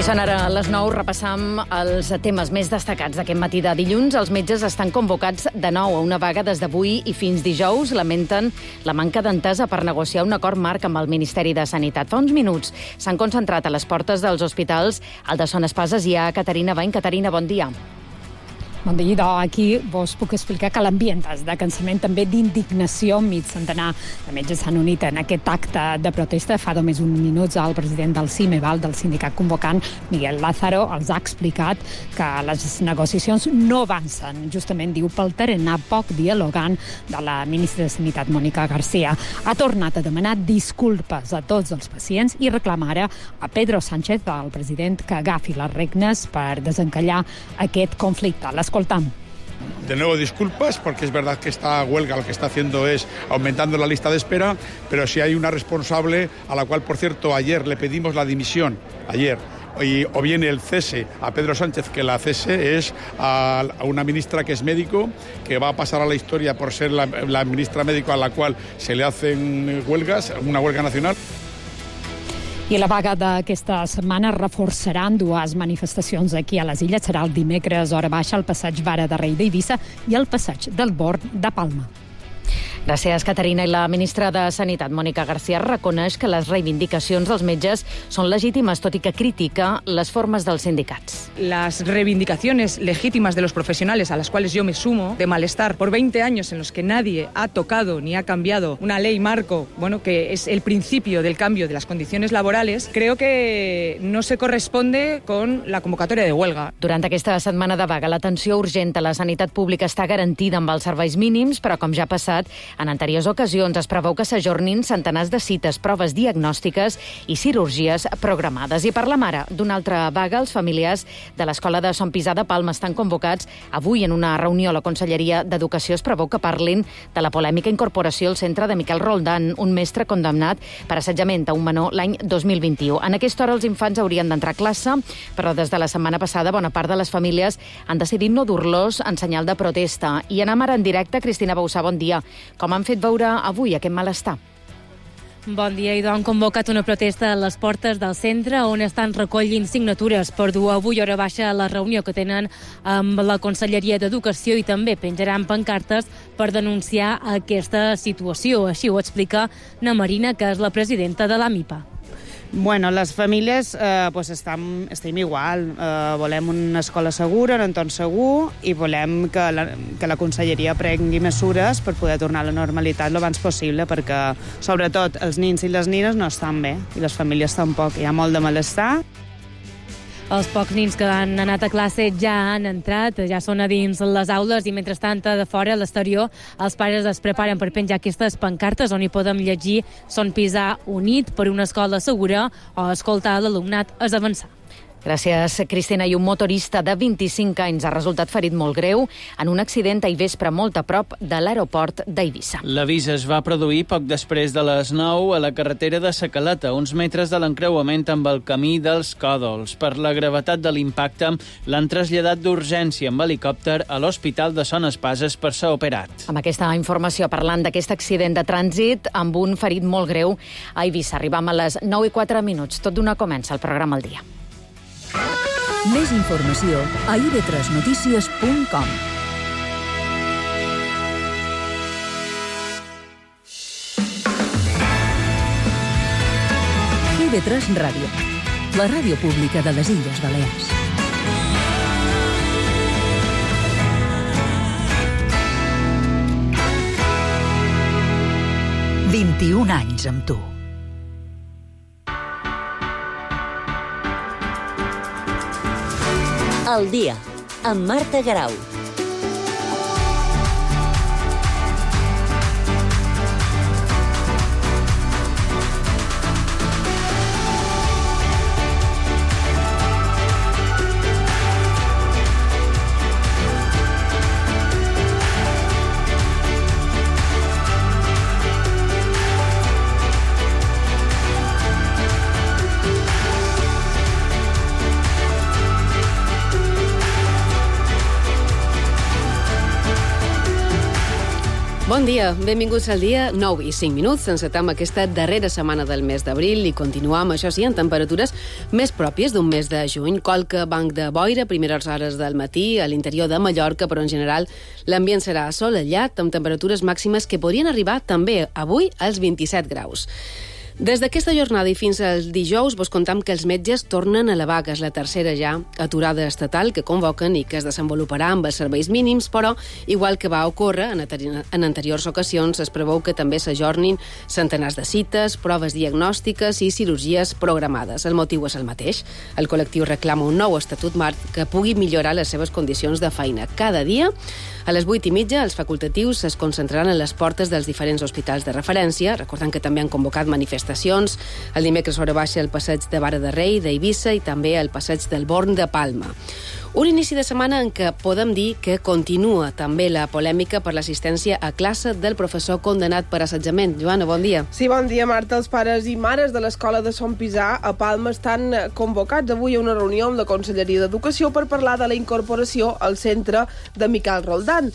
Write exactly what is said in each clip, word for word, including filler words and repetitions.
Són ara a les nou, repassam els temes més destacats d'aquest matí de dilluns. Els metges estan convocats de nou a una vaga des d'avui i fins dijous. Lamenten la manca d'entesa per negociar un acord marc amb el Ministeri de Sanitat. Fa uns minuts s'han concentrat a les portes dels hospitals. Al de Son Espases hi ha Caterina Bain. Caterina, bon dia. Bon dia, idò. Aquí vos puc explicar que l'ambient és de cansament, també d'indignació. Mig centenar de metges s'han unit en aquest acte de protesta. Fa només uns minuts el president del CIMEVAL, del sindicat convocant, Miguel Lázaro, els ha explicat que les negociacions no avancen. Justament, diu, pel tarannà poc dialogant de la ministra de Sanitat, Mònica García. Ha tornat a demanar disculpes a tots els pacients i reclama ara a Pedro Sánchez, el president, que agafi les regnes per desencallar aquest conflicte. L'escoltam. De nuevo, disculpas, porque es verdad que esta huelga lo que está haciendo es aumentando la lista de espera, pero si hay una responsable a la cual, por cierto, ayer le pedimos la dimisión, ayer, y, o bien el cese a Pedro Sánchez, que la cese es a, a una ministra que es médico, que va a pasar a la historia por ser la, la ministra médico a la cual se le hacen huelgas, una huelga nacional. I la vaga d'aquesta setmana reforçaran dues manifestacions aquí a les Illes. Serà el dimecres, hora baixa, al passeig Vara de Rei d'Eivissa i el passeig del Born de Palma. Gràcies, Caterina. I la ministra de Sanitat, Mònica García, reconeix que les reivindicacions dels metges són legítimes, tot i que critica les formes dels sindicats. Las reivindicaciones legítimas de los profesionales, a las cuales yo me sumo, de malestar por veinte años en los que nadie ha tocado ni ha cambiado una ley marco, bueno, que es el principio del cambio de las condiciones laborales, creo que no se corresponde con la convocatoria de huelga. Durant aquesta setmana de vaga, l'atenció urgent a la sanitat pública està garantida amb els serveis mínims, però, com ja ha passat, en anteriors ocasions es preveu que s'ajornin centenars de cites, proves diagnòstiques i cirurgies programades. I parlem ara d'una altra vaga. Els familiars de l'Escola de Sant Pisà de Palma estan convocats avui en una reunió a la Conselleria d'Educació. Es preveu que parlin de la polèmica incorporació al centre de Miquel Roldán, un mestre condemnat per assetjament a un menor l'any dos mil vint-i-u. En aquesta hora els infants haurien d'entrar a classe, però des de la setmana passada bona part de les famílies han decidit no dur-los en senyal de protesta. I anem ara en directe. Cristina Bausà, bon dia. Com han fet veure avui aquest malestar? Bon dia, i han convocat una protesta a les portes del centre on estan recollint signatures per dur avui hora baixa a la reunió que tenen amb la Conselleria d'Educació i també penjaran pancartes per denunciar aquesta situació. Així ho explica na Marina, que és la presidenta de l'AMIPA. Bueno, les famílies eh, pues estem, estem igual. Eh, volem una escola segura, un entorn segur, i volem que la, que la Conselleria prengui mesures per poder tornar a la normalitat el abans possible, perquè, sobretot, els nins i les nines no estan bé, i les famílies tampoc. Hi ha molt de malestar. Els pocs nins que han anat a classe ja han entrat, ja són a dins les aules i, mentrestant, de fora, a l'exterior, els pares es preparen per penjar aquestes pancartes on hi podem llegir Son Pisà unit per una escola segura o escoltar l'alumnat és avançar. Gràcies, Cristina. I un motorista de vint-i-cinc anys ha resultat ferit molt greu en un accident ahir vespre molt a prop de l'aeroport d'Eivissa. L'avís es va produir poc després de les nou a la carretera de Sa Caleta, uns metres de l'encreuament amb el camí dels Còdols. Per la gravetat de l'impacte, l'han traslladat d'urgència amb helicòpter a l'Hospital de Son Espases per ser operat. Amb aquesta informació, parlant d'aquest accident de trànsit amb un ferit molt greu a Eivissa. Arribam a les nou i quatre minuts. Tot d'una comença el programa al dia. Més informació a i ve tres notícies punt com. i ve tres Ràdio, la ràdio pública de les Illes Balears. vint-i-un anys amb tu. El dia, amb Marta Garau. Bon dia, benvinguts al dia, nou i cinc minuts. Encetem aquesta darrera setmana del mes d'abril i continuam, això sí, en temperatures més pròpies d'un mes de juny. Qualque banc de boira a primeres hores del matí a l'interior de Mallorca, però en general l'ambient serà assolellat amb temperatures màximes que podrien arribar també avui als vint-i-set graus. Des d'aquesta jornada i fins al dijous vos contam que els metges tornen a la vaga. És la tercera ja aturada estatal que convoquen i que es desenvoluparà amb els serveis mínims, però, igual que va ocórrer en anteriors ocasions, es preveu que també s'ajornin centenars de cites, proves diagnòstiques i cirurgies programades. El motiu és el mateix. El col·lectiu reclama un nou estatut marc que pugui millorar les seves condicions de feina. Cada dia, a les vuit i mitja, els facultatius es concentraran a les portes dels diferents hospitals de referència, recordant que també han convocat manifestacions el dimecres hora baixa al passeig de Vara de Rei d'Eivissa i també al passeig del Born de Palma. Un inici de setmana en què podem dir que continua també la polèmica per l'assistència a classe del professor condenat per assetjament. Joana, bon dia. Sí, bon dia, Marta. Els pares i mares de l'escola de Son Pisà a Palma estan convocats avui a una reunió amb la Conselleria d'Educació per parlar de la incorporació al centre de Miquel Roldán.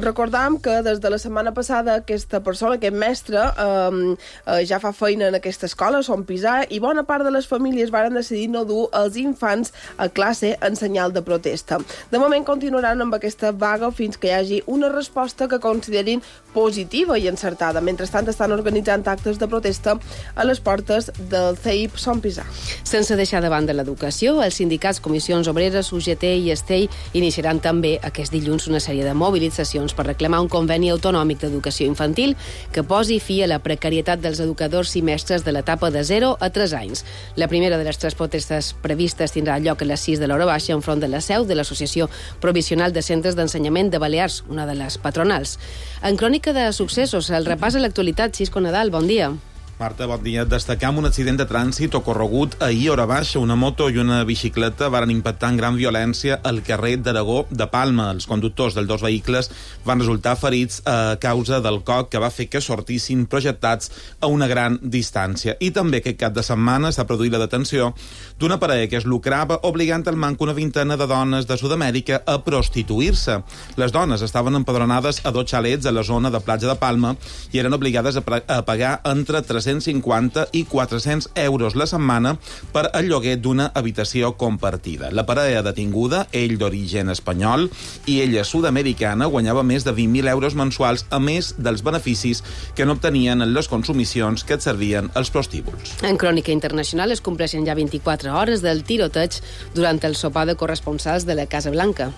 Recordam que des de la setmana passada aquesta persona, aquest mestre, eh, eh, ja fa feina en aquesta escola, Son Pisà, i bona part de les famílies varen decidir no dur els infants a classe en senyal de protesta. De moment continuaran amb aquesta vaga fins que hi hagi una resposta que considerin positiva i encertada. Mentrestant estan organitzant actes de protesta a les portes del C E I P Son Pisà. Sense deixar de banda l'educació, els sindicats Comissions Obreres, U G T i Estell iniciaran també aquest dilluns una sèrie de mobilitzacions per reclamar un conveni autonòmic d'educació infantil que posi fi a la precarietat dels educadors i mestres de l'etapa de zero a tres anys. La primera de les tres protestes previstes tindrà lloc a les sis de l'hora baixa enfront de la seu de l'Associació Provisional de Centres d'Ensenyament de Balears, una de les patronals. En crònica de successos, el repàs a l'actualitat. Xisco Nadal, bon dia. Marta, bon dia. Destacam un accident de trànsit ocorregut ahir hora baixa. Una moto i una bicicleta varen impactar amb gran violència al carrer d'Aragó de Palma. Els conductors dels dos vehicles van resultar ferits a causa del coc que va fer que sortissin projectats a una gran distància. I també aquest cap de setmana s'ha produït la detenció d'una parella que es lucrava obligant al manc una vintena de dones de Sud-amèrica a prostituir-se. Les dones estaven empadronades a dos xalets a la zona de Platja de Palma i eren obligades a pagar entre tres-cents cinquanta i quatre-cents euros la setmana per al lloguer d'una habitació compartida. La parella detinguda, ell d'origen espanyol i ella sud-americana, guanyava més de vint mil euros mensuals, a més dels beneficis que n'obtenien en les consumicions que et servien els prostíbuls. En crònica internacional es compleixen ja vint-i-quatre hores del tiroteig durant el sopar de corresponsals de la Casa Blanca.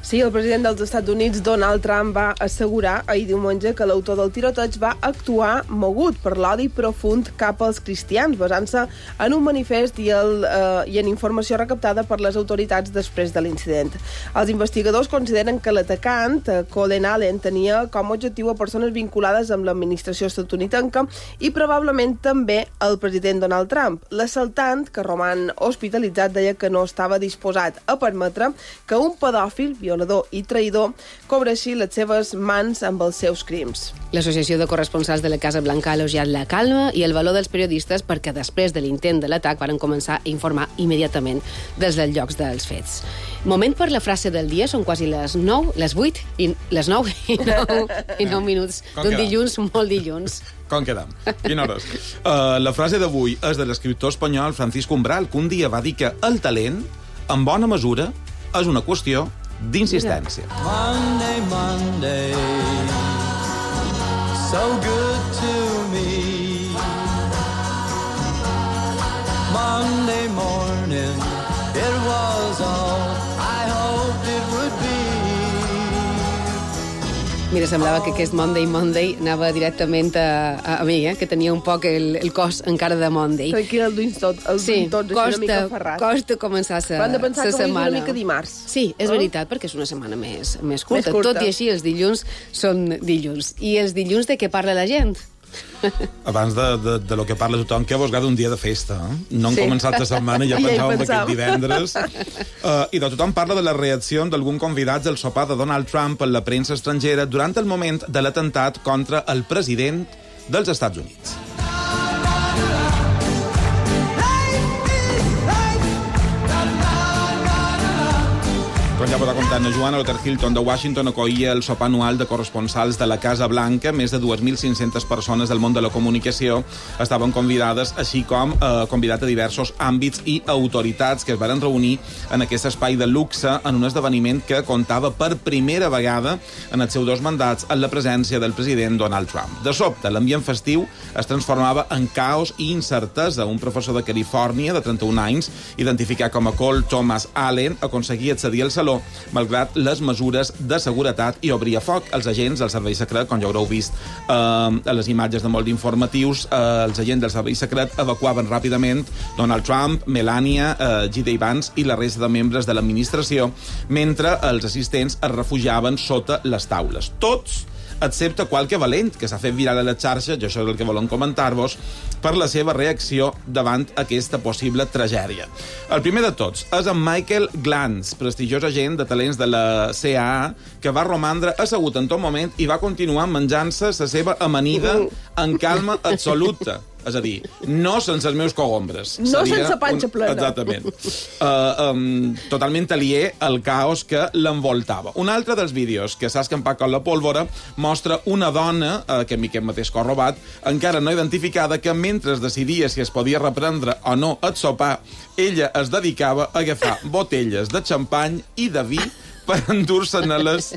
Sí, el president dels Estats Units, Donald Trump, va assegurar ahir diumenge que l'autor del tiroteig va actuar mogut per l'odi profund cap als cristians, basant-se en un manifest i, el, eh, i en informació recaptada per les autoritats després de l'incident. Els investigadors consideren que l'atacant, eh, Colin Allen, tenia com a objectiu a persones vinculades amb l'administració estatunidenca i probablement també el president Donald Trump. L'assaltant, que roman hospitalitzat, deia que no estava disposat a permetre que un pedòfil, violador i traïdor cobreixi les seves mans amb els seus crims. L'Associació de Corresponsals de la Casa Blanca ha elogiat la calma i el valor dels periodistes perquè després de l'intent de l'atac varen començar a informar immediatament des dels llocs dels fets. Moment per la frase del dia, són quasi les nou, les vuit, i les nou i nou, i nou minuts d'un dilluns, molt dilluns. Com quedam? Quina hores? Uh, la frase d'avui és de l'escriptor espanyol Francisco Umbral, que un dia va dir que el talent, en bona mesura, és una qüestió d'insistència. Monday, Monday, so good to me. Monday morning, it was all I hoped it would be. Mira, semblava que aquest Monday Monday anava directament a, a, a mi, eh? Que tenia un poc el, el cos encara de Monday. Aquí el duim tot, el sí, tot costa, una mica ferrat. Costa començar sa, Però han de pensar que setmana. És una mica dimarts. Sí, és oh? veritat, perquè és una setmana més, més, curta. més curta. Tot i així, els dilluns són dilluns. I els dilluns de què parla la gent? Abans de, de, de lo que parla tothom, que vos agrada un dia de festa. Eh? No hem sí. començat la setmana i ja pensàvem ja aquest divendres. Uh, I de tothom parla de la reacció d'algun convidats del sopar de Donald Trump en la premsa estrangera durant el moment de l'atemptat contra el president dels Estats Units. Quan ja vos ha contat la Joana, l'Hotel Hilton de Washington acollia el sopar anual de corresponsals de la Casa Blanca. Més de dues mil cinc-centes persones del món de la comunicació estaven convidades, així com eh, convidat a diversos àmbits i autoritats que es van reunir en aquest espai de luxe en un esdeveniment que comptava per primera vegada en els seus dos mandats en la presència del president Donald Trump. De sobte, l'ambient festiu es transformava en caos i incertesa. Un professor de Califòrnia, de trenta-un anys, identificat com a Cole Thomas Allen, aconseguia accedir al saló malgrat les mesures de seguretat i obria foc. Els agents del servei secret, com ja haureu vist eh, a les imatges de molt d'informatius, eh, els agents del servei secret evacuaven ràpidament Donald Trump, Melania, eh, J D. Vance i la resta de membres de l'administració, mentre els assistents es refugiaven sota les taules. Tots excepte qualque valent, que s'ha fet viral a la xarxa, jo això és el que volem comentar-vos, per la seva reacció davant aquesta possible tragèdia. El primer de tots és en Michael Glantz, prestigiós agent de talents de la C A A, que va romandre assegut en tot moment i va continuar menjant-se la seva amanida en calma absoluta. És a dir, no sense els meus cogombres. No sense panxa plena. Un... Exactament. Uh, um, totalment aliè al caos que l'envoltava. Un altre dels vídeos que s'ha escampat com la pólvora mostra una dona, uh, que Miquel mateix ha robat, encara no identificada, que mentre es decidia si es podia reprendre o no el sopar, ella es dedicava a agafar botelles de xampany i de vi per endur-se-ne-les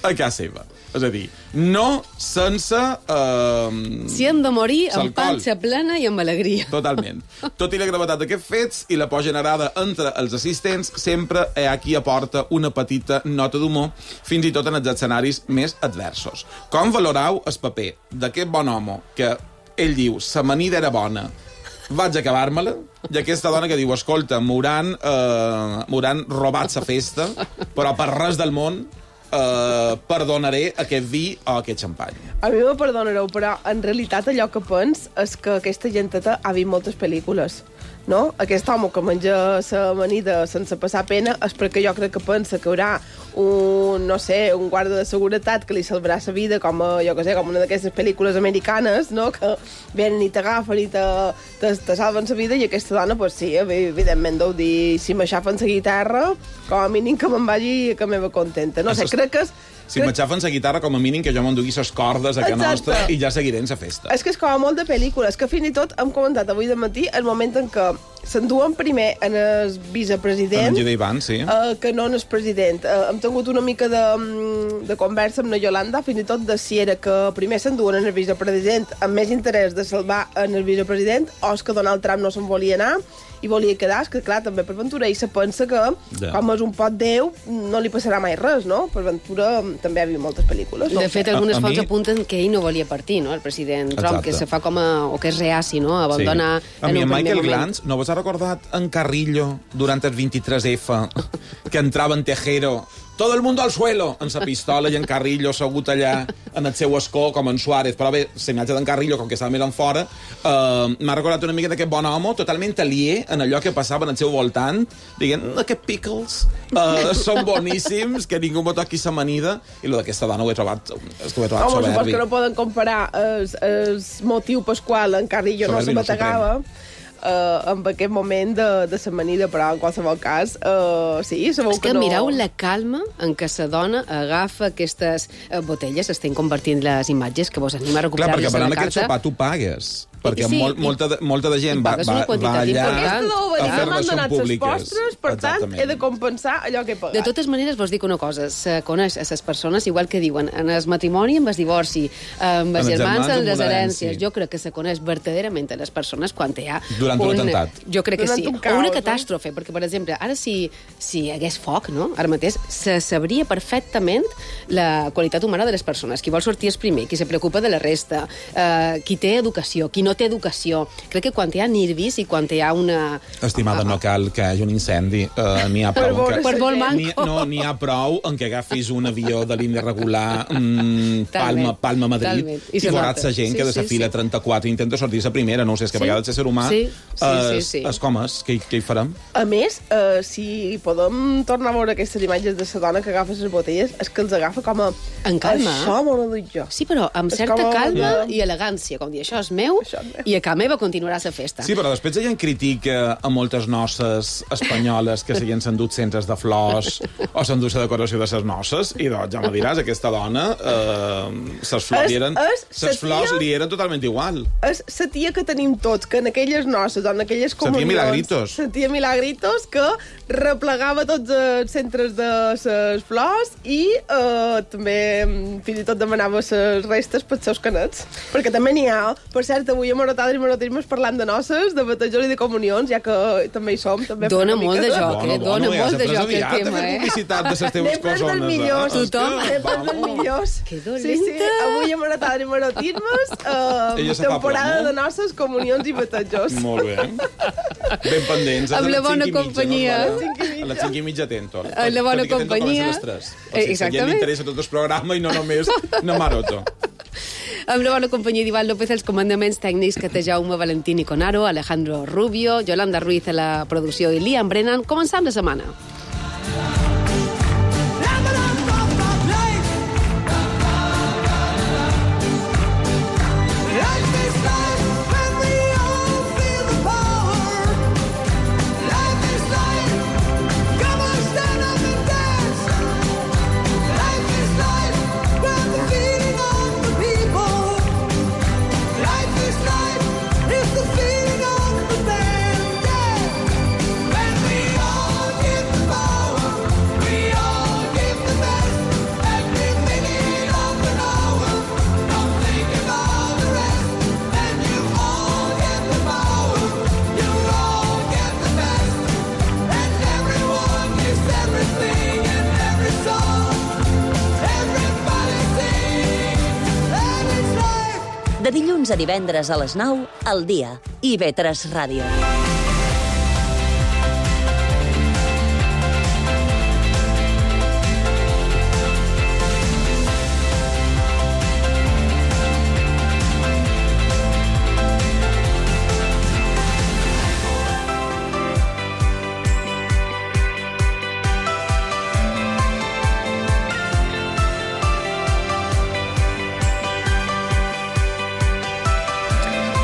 a casa seva. És a dir, no sense... Eh, si hem de morir amb panxa plena i amb alegria. Totalment. Tot i la gravetat d'aquests fets i la por generada entre els assistents, sempre hi ha qui aporta una petita nota d'humor, fins i tot en els escenaris més adversos. Com valorau el paper d'aquest bon home que ell diu, sa amanida era bona, vaig acabar-me-la, i aquesta dona que diu, escolta, m'hauran eh, m'hauran robat sa festa, però per res del món Uh, perdonaré aquest vi o aquest xampany. A mi me perdonareu, però en realitat allò que pens és que aquesta genteta ha vist moltes pel·lícules, no? Aquest home que menja sa amanida sense passar pena és perquè jo crec que pensa que hi haurà un, no sé, un guarda de seguretat que li salvarà sa vida, com a, jo que sé, com una d'aquestes pel·lícules americanes, no? Que venen i t'agafen i te, te, te salven sa vida, i aquesta dona, pues sí, evidentment deu dir, si m'aixafen sa guitarra, com a mínim que me'n vagi que meva contenta. No sé, crec que és... Si m'aixafen la guitarra, com a mínim que jo m'endugui les cordes a que nostra i ja seguiré en la festa. És que és com a molt de pel·lícules, que fins i tot hem comentat avui de matí el moment en què s'enduen primer en el vicepresident, en J D. Vance, sí. uh, que no en el president. Uh, hem tingut una mica de, de conversa amb la Yolanda, fins i tot de si era que primer s'enduen en el vicepresident amb més interès de salvar en el vicepresident, o és que Donald Trump no se'n volia anar i volia quedar. És que, clar, també per Ventura ell se pensa que, ja, com és un pot Déu, no li passarà mai res, no? Per Ventura també ha vist moltes pel·lícules. De fet, algunes fonts mi... apunten que ell no volia partir, no?, el president Trump, exacte, que se fa com a... o que és reaci, no?, a abandonar... Sí. A mi, en Michael Glantz, no vos ha recordat en Carrillo, durant el vint-i-tres efa, que entrava en Tejero, todo el mundo al suelo, amb sa pistola, i en Carrillo assegut allà en el seu escó, com en Suárez. Però bé, la imatge d'en Carrillo, com que estava mirant fora, uh, m'ha recordat una mica d'aquest bon home, totalment aliè en allò que passava en el seu voltant, dient, aquests pickles uh, són boníssims, que ningú m'ho toqui sa amanida, i lo d'aquesta dona ho he trobat, ho he trobat Home, soberbi. Supos que no poden comparar el motiu pasqual en Carrillo no se bategava, Uh, en aquest moment de, de l'amanida, però en qualsevol cas, uh, sí, sabeu és que, que no... mireu la calma en què la dona agafa aquestes uh, botelles, estem convertint les imatges que vos anima a recuperar-les a la carta. Clar, perquè per anar a aquest sopar tu pagues, perquè sí, molt, molta, de, molta de gent va, va, va allà a fer-les són públiques. Postres, per tant, he de compensar allò que he pagat. De totes maneres, vos dic una cosa, se coneix a les persones, igual que diuen, en el matrimoni, amb el divorci, amb els germans, en les herències. Jo crec que se coneix verdaderament a les persones quan hi ha durant un, un atemptat. Jo crec que durant sí. Un caos, o una catàstrofe, no? Perquè, per exemple, ara si, si hi hagués foc, no?, ara mateix, se sabria perfectament la qualitat humana de les persones, qui vol sortir és primer, qui se preocupa de la resta, eh, qui té educació, qui no té educació. Crec que quan hi ha nervis i quan hi ha una... Estimada, no cal que hi hagi un incendi. Uh, n'hi ha prou... Per, que... per vol manco. No, n'hi ha prou en què agafis un avió de línia regular, mm, Palma, Palma, Madrid, talment. I, i veuràs la gent sí, que de la sí, fila sí. trenta-quatre intenta sortir la primera. No ho sé, és que a vegades el ser humà sí, sí, es, sí, sí. es com és, què, què hi farem? A més, uh, si podem tornar a veure aquestes imatges de la dona que agafa les botelles, és que els agafa com a... En calma. Això m'ho ho dic jo. Sí, però amb és certa calma a... i elegància, com dir, això és meu, això I a Can Meva continuarà la festa. Sí, però després ella en critica a moltes noces espanyoles que s'hi han endut centres de flors o s'endut la decoració de les noces, i doncs ja me diràs, aquesta dona, eh, ses flors, li eren, ses flors li eren totalment igual. És la tia que tenim tots, que en aquelles noces o en aquelles comunions... La tia Milagritos. La tia Milagritos, que replegava tots els centres de les flors i eh, també fins i tot demanava les restes pels seus canets. Perquè també n'hi ha, per cert, avui a Morotades i Morotismes parlant de noces, de batejos i de comunions, ja que també hi som. També dona molt de joc, eh? Dona molt de joc el tema, eh? publicitat de les teves cosones. Dels millors. Tothom. Sempre dels millors. Que dolenta. Sí, sí, avui a Morotades i Morotismes, eh, temporada de noces, comunions i batejos. Molt bé. Ben pendents. Amb la bona companyia. A les cinc i mitja atento. A la bona companyia. Exactament. Li interessa tot el programa i no només no maroto. Amb la bona companyia d'Ivan López, els comandaments tècnics que té Jaume Valentín i Conaro, Alejandro Rubio, Yolanda Ruiz a la producció i Liam Brennan. Començam la setmana. De dilluns a divendres a les nou, al dia. I ve tres Ràdio.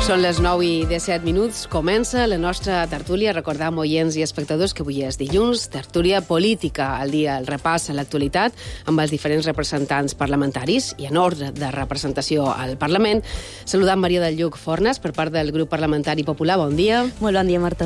Són les nou i disset minuts. Comença la nostra tertúlia. Recordam, oients i espectadors, que avui és dilluns, tertúlia política, al dia, el repàs a l'actualitat amb els diferents representants parlamentaris i en ordre de representació al Parlament. Saludam Maria del Lluc Fornes per part del grup parlamentari popular. Bon dia. Molt bon dia, Marta.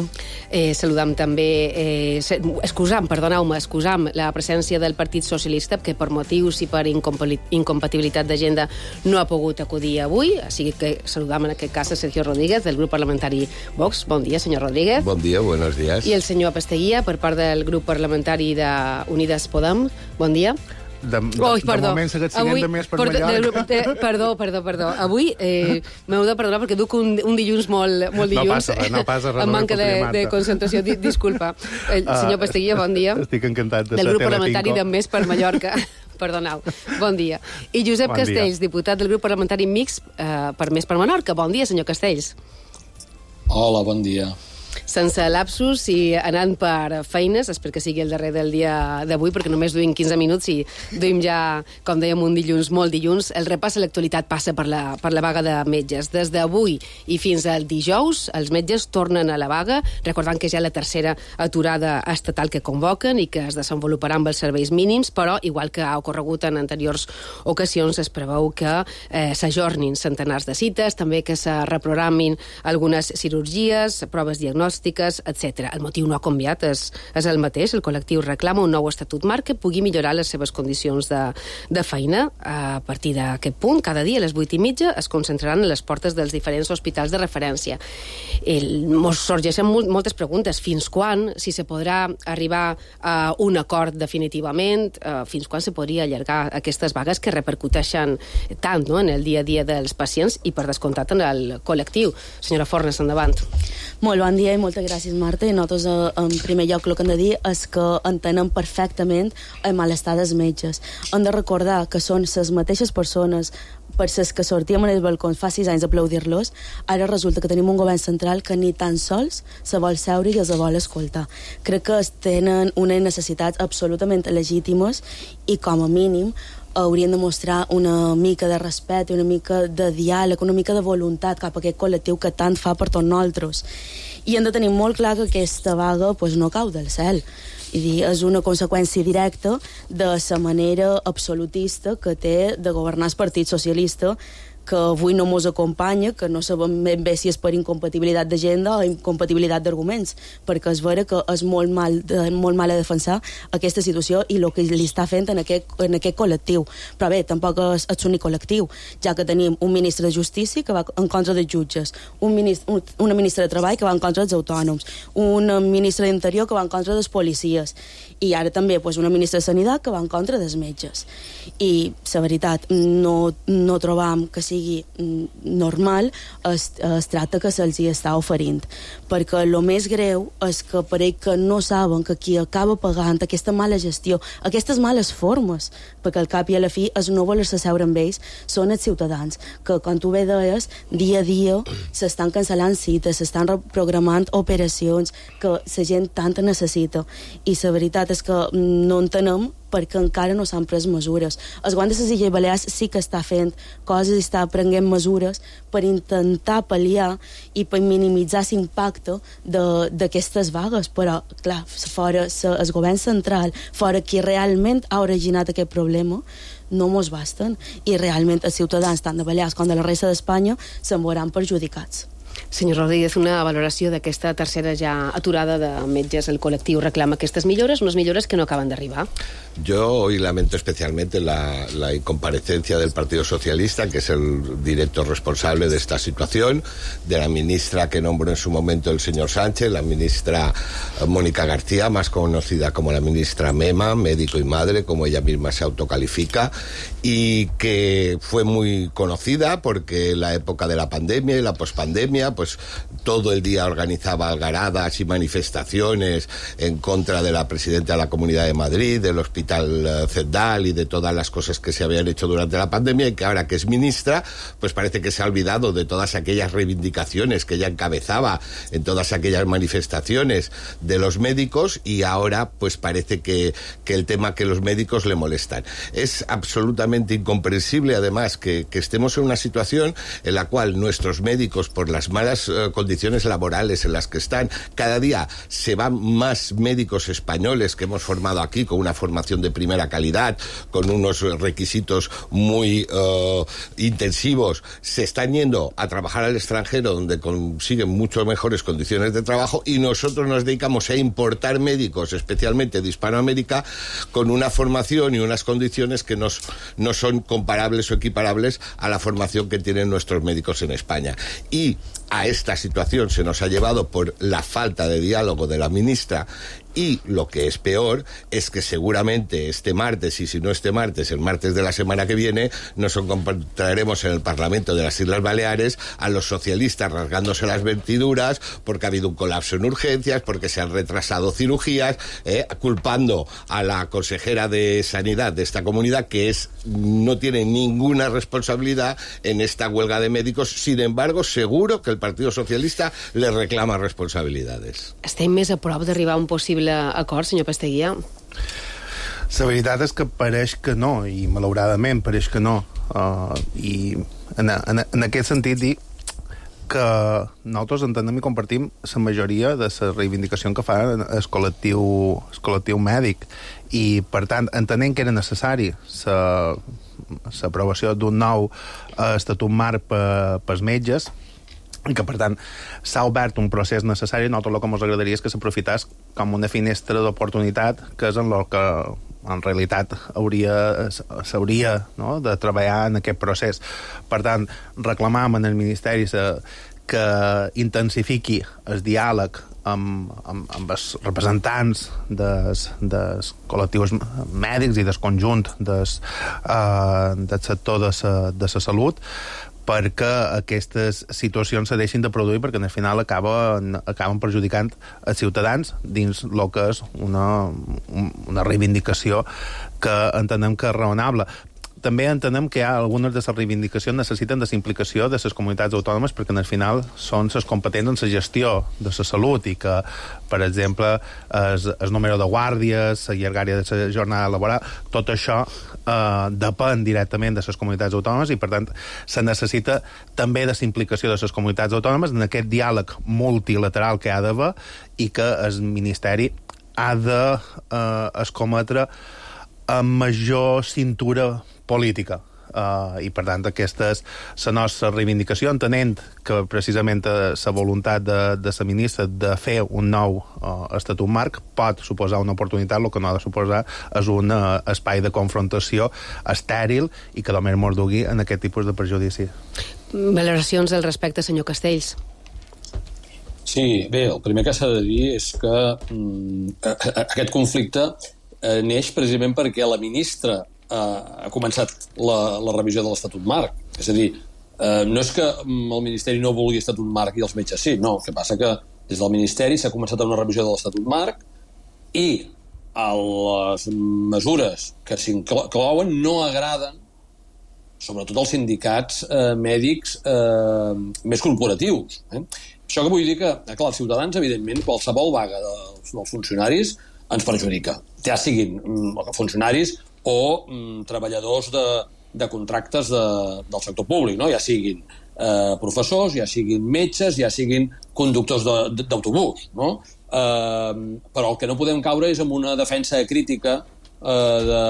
Eh, saludam també, eh, excusam, perdoneu-me, excusam la presència del Partit Socialista, que per motius i per incompatibilitat d'agenda no ha pogut acudir avui, així que saludam en aquest cas a Sergio Rodríguez, del grup parlamentari Vox. Bon dia, senyor Rodríguez. Bon dia, buenos días. I el senyor Pasteguía, per part del grup parlamentari de Unides Podem. Bon dia. De, de, Oi, perdó. de moment segueix siguent de més per perdó, Mallorca. De, de, perdó, perdó, perdó. Avui eh, m'heu de perdonar perquè duc un, un dilluns molt, molt dilluns. No passa res, no passa res. Amb manca de, de concentració. Di, disculpa. El senyor Pasteguía, bon dia. Estic encantat de del ser grup parlamentari de Més per Mallorca. Perdoneu. Bon dia. I Josep bon Castells, dia. Diputat del grup parlamentari mixt eh, per Més per Menorca. Bon dia, senyor Castells. Hola, bon dia. Sense lapsus i anant per feines, espero que sigui el darrer del dia d'avui, perquè només duim quinze minuts i duim ja, com dèiem, un dilluns, molt dilluns. El repàs a l'actualitat passa per la, per la vaga de metges. Des d'avui i fins al dijous, els metges tornen a la vaga, recordant que ja la tercera aturada estatal que convoquen i que es desenvoluparà amb els serveis mínims, però, igual que ha ocorregut en anteriors ocasions, es preveu que eh, s'ajornin centenars de cites, també que se reprogramin algunes cirurgies, proves diagnòstiques, etcètera. El motiu no ha canviat, és, és el mateix. El col·lectiu reclama un nou estatut marc que pugui millorar les seves condicions de, de feina. A partir d'aquest punt, cada dia a les vuit i mitja es concentraran a les portes dels diferents hospitals de referència. El, mos sorgeixen molt, moltes preguntes. Fins quan, si se podrà arribar a un acord definitivament, eh, fins quan se podria allargar aquestes vagues que repercuteixen tant, no?, en el dia a dia dels pacients i, per descomptat, en el col·lectiu. Senyora Fornes, endavant. Molt bon dia i moltes gràcies, Marta. I nosaltres, en primer lloc, el que hem de dir és que entenem perfectament el malestar dels metges. Hem de recordar que són les mateixes persones per les que sortíem en els balcons fa sis anys a aplaudir-los. Ara resulta que tenim un govern central que ni tan sols se vol seure i els vol escoltar. Crec que tenen unes necessitats absolutament legítimes i, com a mínim, haurien de mostrar una mica de respecte, una mica de diàleg, una mica de voluntat cap a aquest col·lectiu que tant fa per tots nosaltres. I hem de tenir molt clar que aquesta vaga pues, no cau del cel. I dir, és una conseqüència directa de la manera absolutista que té de governar el Partit Socialista, que avui no mos acompanya, que no sabem ben bé si és per incompatibilitat d'agenda o incompatibilitat d'arguments, perquè és vera que és molt mal, de, molt mal a defensar aquesta situació i el que li està fent en aquest, en aquest col·lectiu. Però bé, tampoc és, és l'únic col·lectiu, ja que tenim un ministre de Justícia que va en contra dels jutges, un ministre, un, una ministra de Treball que va en contra dels autònoms, un ministre d'Interior que va en contra dels policies, i ara també pues, una ministra de Sanitat que va en contra dels metges. I, la veritat, no, no trobam que sigui normal es, es tracte que se'ls hi està oferint, perquè el més greu és que pareix que no saben que qui acaba pagant aquesta mala gestió, aquestes males formes, perquè al cap i a la fi es no voler-se seure amb ells són els ciutadans, que com tu bé deies, dia a dia s'estan cancel·lant cites, s'estan reprogramant operacions que la gent tant necessita, i la veritat és que no entenem perquè encara no s'han pres mesures. El govern de les Illes Balears sí que està fent coses i està prenent mesures per intentar pal·liar i per minimitzar l'impacte d'aquestes vagues, però, clar, fora el govern central, fora qui realment ha originat aquest problema, no mos basten, i realment els ciutadans, tant de Balears com de la resta d'Espanya, se'n veuran perjudicats. Senyor Rodríguez, una valoració d'aquesta tercera ja aturada de metges. El col·lectiu reclama aquestes millores, unes millores que no acaben d'arribar. Yo hoy lamento especialmente la, la incomparecencia del Partido Socialista, que es el directo responsable de esta situación, de la ministra que nombró en su momento el señor Sánchez, la ministra Mónica García, más conocida como la ministra Mema, médico y madre, como ella misma se autocalifica, y que fue muy conocida porque en la época de la pandemia y la pospandemia, pues todo el día organizaba algaradas y manifestaciones en contra de la presidenta de la Comunidad de Madrid, del Hospital Cendal y de todas las cosas que se habían hecho durante la pandemia, y que ahora que es ministra, pues parece que se ha olvidado de todas aquellas reivindicaciones que ella encabezaba en todas aquellas manifestaciones de los médicos, y ahora pues parece que, que el tema que los médicos le molestan. Es absolutamente incomprensible, además, que, que estemos en una situación en la cual nuestros médicos, por las malas uh, condiciones laborales en las que están, cada día se van más médicos españoles que hemos formado aquí con una formación de primera calidad, con unos requisitos muy uh, intensivos, se están yendo a trabajar al extranjero donde consiguen mucho mejores condiciones de trabajo, y nosotros nos dedicamos a importar médicos, especialmente de Hispanoamérica, con una formación y unas condiciones que nos, no son comparables o equiparables a la formación que tienen nuestros médicos en España. Y a esta situación se nos ha llevado por la falta de diálogo de la ministra, y lo que es peor es que seguramente este martes, y si no este martes, el martes de la semana que viene, nos encontraremos en el Parlamento de las Islas Baleares a los socialistas rasgándose las vestiduras porque ha habido un colapso en urgencias, porque se han retrasado cirugías, eh, culpando a la consejera de Sanidad de esta comunidad, que es no tiene ninguna responsabilidad en esta huelga de médicos. Sin embargo, seguro que el Partido Socialista le reclama responsabilidades. Estem més a prop d'arribar a un possible acord, senyor Pasteguía? La veritat és que pareix que no, i malauradament pareix que no. Uh, I en, en, en aquest sentit dir que nosaltres entenem i compartim la majoria de la reivindicació que fa el col·lectiu, el col·lectiu mèdic, i per tant entenem que era necessari l'aprovació d'un nou estatut marc per, pels metges, i que, per tant, s'ha obert un procés necessari. Nosaltres el que ens agradaria és que s'aprofitàs com una finestra d'oportunitat, que és en el que en realitat hauria, s'hauria, no?, de treballar en aquest procés. Per tant, reclamam en el Ministeri que intensifiqui el diàleg amb, amb, amb els representants dels, dels col·lectius mèdics i del conjunt des, uh, del sector de la, de la salut, perquè aquestes situacions se deixin de produir, perquè al final acaben, acaben perjudicant els ciutadans dins el que és una, una reivindicació que entenem que és raonable. també entenem que hi ha algunes de les reivindicacions necessiten de la implicació de les comunitats autònomes perquè al final són les competents en la gestió de la salut i que, per exemple, el, el número de guàrdies, la llargària de la jornada laboral, tot això eh, depèn directament de les comunitats autònomes i, per tant, se necessita també de la implicació de les comunitats autònomes en aquest diàleg multilateral que ha d'haver i que el Ministeri ha de eh, escometre amb major cintura política. Uh, i per tant aquesta és la nostra reivindicació, entenent que precisament la voluntat de, de la ministra de fer un nou uh, estatut marc pot suposar una oportunitat, el que no ha de suposar és un uh, espai de confrontació estèril i que només mordugui en aquest tipus de perjudici. Valoracions al respecte, senyor Castells. Sí, bé, el primer que s'ha de dir és que mm, aquest conflicte eh, neix precisament perquè la ministra ha començat la, la revisió de l'Estatut Marc. És a dir, eh, no és que el Ministeri no vulgui Estatut Marc i els metges sí, no. El que passa que des del Ministeri s'ha començat una revisió de l'Estatut Marc i les mesures que s'inclouen no agraden sobretot als sindicats eh, mèdics eh, més corporatius. Eh? Això que vull dir que, clar, els ciutadans, evidentment, qualsevol vaga dels, dels funcionaris ens perjudica. Ja siguin mm, funcionaris o mm, treballadors de, de contractes de, del sector públic, no? Ja siguin eh, professors, ja siguin metges, ja siguin conductors d'autobús, no? Eh, però el que no podem caure és en una defensa crítica eh, de,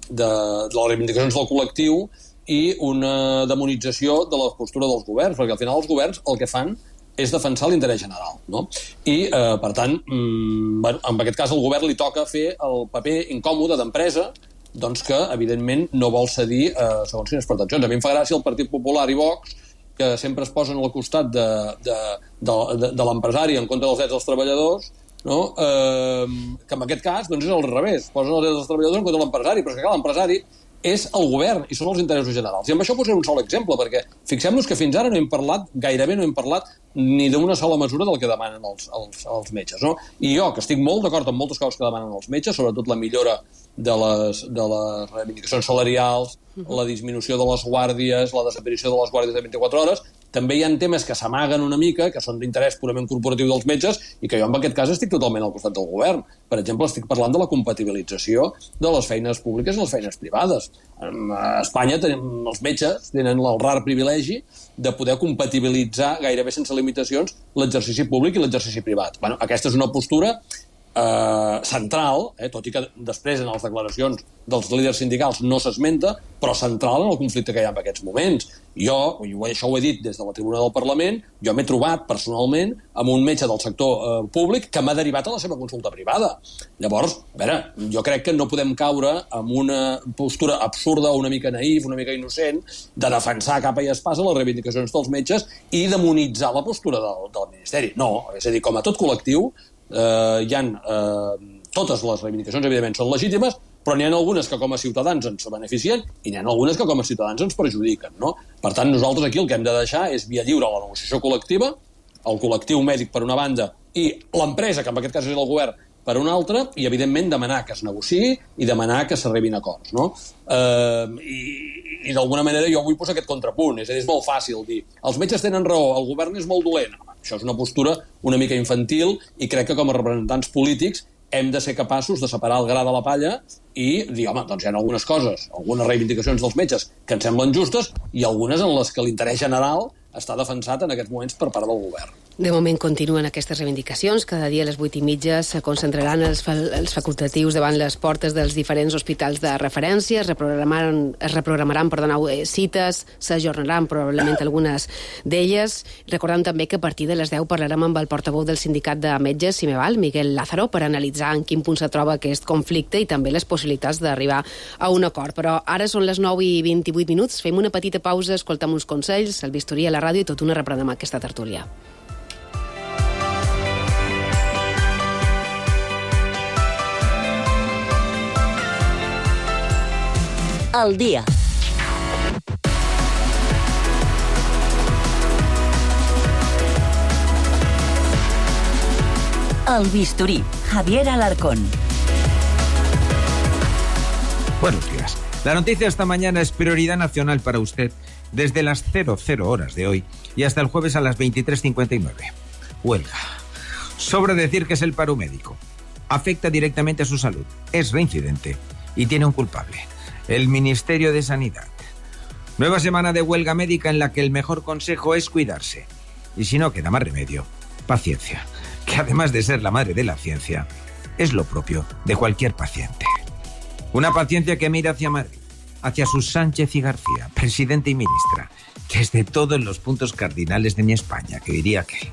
de, de les reivindicacions del col·lectiu i una demonització de la postura dels governs, perquè al final els governs el que fan és defensar l'interès general, no? I, eh, per tant, mm, bueno, en aquest cas al govern li toca fer el paper incòmode d'empresa doncs que, evidentment, no vol cedir eh, segons quines pretensions. A mi em fa gràcia el Partit Popular i Vox, que sempre es posen al costat de, de, de, de, de l'empresari en contra dels drets dels treballadors, no? eh, que en aquest cas doncs és al revés, posen els drets dels treballadors en contra de l'empresari, però és que clar, l'empresari és el govern i són els interessos generals. I amb això posaré un sol exemple, perquè fixem-nos que fins ara no hem parlat, gairebé no hem parlat ni d'una sola mesura del que demanen els, els, els metges, no? I jo, que estic molt d'acord amb moltes coses que demanen els metges, sobretot la millora de les, de les reivindicacions salarials, la disminució de les guàrdies, la desaparició de les guàrdies de vint-i-quatre hores, també hi ha temes que s'amaguen una mica, que són d'interès purament corporatiu dels metges, i que jo en aquest cas estic totalment al costat del govern. Per exemple, estic parlant de la compatibilització de les feines públiques i les feines privades. A Espanya tenim, els metges tenen el rar privilegi de poder compatibilitzar gairebé sense limitacions l'exercici públic i l'exercici privat. Bueno, aquesta és una postura Eh, central, eh, tot i que després en les declaracions dels líders sindicals no s'esmenta, però central en el conflicte que hi ha en aquests moments. Jo, i això ho he dit des de la tribuna del Parlament, jo m'he trobat personalment amb un metge del sector eh, públic que m'ha derivat a la seva consulta privada. Llavors, a veure, jo crec que no podem caure en una postura absurda, una mica naïf, una mica innocent, de defensar capa i espasa les reivindicacions dels metges i demonitzar la postura del, del Ministeri. No, és a dir, com a tot col·lectiu, Uh, hi ha uh, totes les reivindicacions evidentment són legítimes, però n'hi ha algunes que com a ciutadans ens beneficien i n'hi ha algunes que com a ciutadans ens perjudiquen, no? Per tant, nosaltres aquí el que hem de deixar és via lliure a la negociació col·lectiva, el col·lectiu mèdic per una banda i l'empresa, que en aquest cas és el govern, per una altra, i evidentment demanar que es negociï i demanar que s'arribin acords, no? Uh, i, i d'alguna manera jo vull posar aquest contrapunt, és a dir, és molt fàcil dir els metges tenen raó, el govern és molt dolent. Això és una postura una mica infantil i crec que com a representants polítics hem de ser capaços de separar el gra de la palla i dir, home, doncs hi ha algunes coses, algunes reivindicacions dels metges que ens semblen justes i algunes en les que l'interès general està defensat en aquests moments per part del govern. De moment continuen aquestes reivindicacions. Cada dia a les vuit i mitja se concentraran els, fa els facultatius davant les portes dels diferents hospitals de referència, es reprogramaran, es reprogramaran perdoneu, cites, s'ajornaran probablement algunes d'elles. Recordem també que a partir de les deu parlarem amb el portaveu del sindicat de metges, Cimeval, Miguel Lázaro, per analitzar en quin punt se troba aquest conflicte i també les possibilitats d'arribar a un acord. Però ara són les nou i vint-i-vuit minuts, fem una petita pausa, escoltem uns consells, el bisturí a la ràdio i tot una reprenem aquesta tertúlia. Al dia. El bisturí, Javier Alarcón. Buenos días. La noticia esta mañana es prioridad nacional para usted desde las cero cero horas de hoy y hasta el jueves a las veintitrés cincuenta y nueve. Huelga. Sobra decir que es el paro médico. Afecta directamente a su salud, es reincidente y tiene un culpable, el Ministerio de Sanidad. Nueva semana de huelga médica en la que el mejor consejo es cuidarse. Y si no queda más remedio, paciencia, que además de ser la madre de la ciencia, es lo propio de cualquier paciente. Una paciencia que mira hacia Madrid, hacia sus Sánchez y García, presidente y ministra, desde todos los puntos cardinales de mi España, que diría que...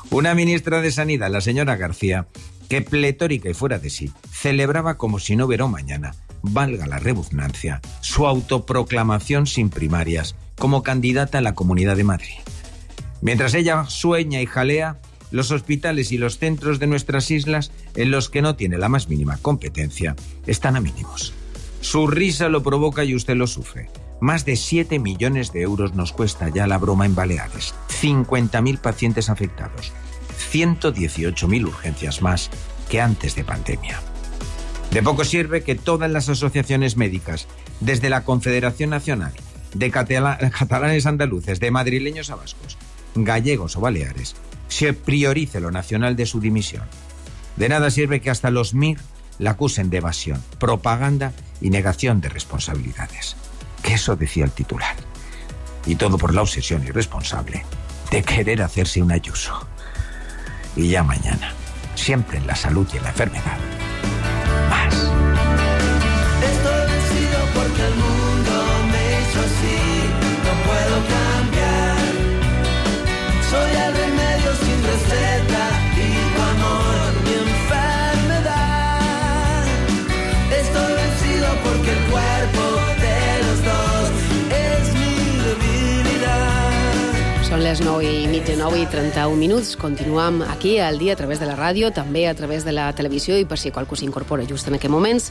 Una ministra de Sanidad, la señora García, que pletórica y fuera de sí, celebraba como si no hubiera un mañana, valga la redundancia, su autoproclamación sin primarias como candidata a la Comunidad de Madrid. Mientras ella sueña y jalea, los hospitales y los centros de nuestras islas, en los que no tiene la más mínima competencia, están a mínimos. Su risa lo provoca y usted lo sufre. Más de siete millones de euros nos cuesta ya la broma en Baleares. cincuenta mil pacientes afectados. ciento dieciocho mil urgencias más que antes de pandemia. De poco sirve que todas las asociaciones médicas, desde la Confederación Nacional de Catala- Catalanes Andaluces, de madrileños a vascos, gallegos o baleares, se priorice lo nacional de su dimisión. De nada sirve que hasta los M I R la acusen de evasión, propaganda y negación de responsabilidades. Que eso decía el titular. Y todo por la obsesión irresponsable de querer hacerse un Ayuso. Y ya mañana, siempre en la salud y en la enfermedad. Más. Estoy vencido porque el mundo me hizo así. No puedo cambiar. Soy el remedio sin receta y tu amor mi enfermedad. Estoy vencido porque el cuerpo de los dos es mi debilidad. Són les nou i mitja, nou i trenta-un minuts. Continuam aquí al dia a través de la ràdio, també a través de la televisió, i per si qualcú s'incorpora just en aquests moments,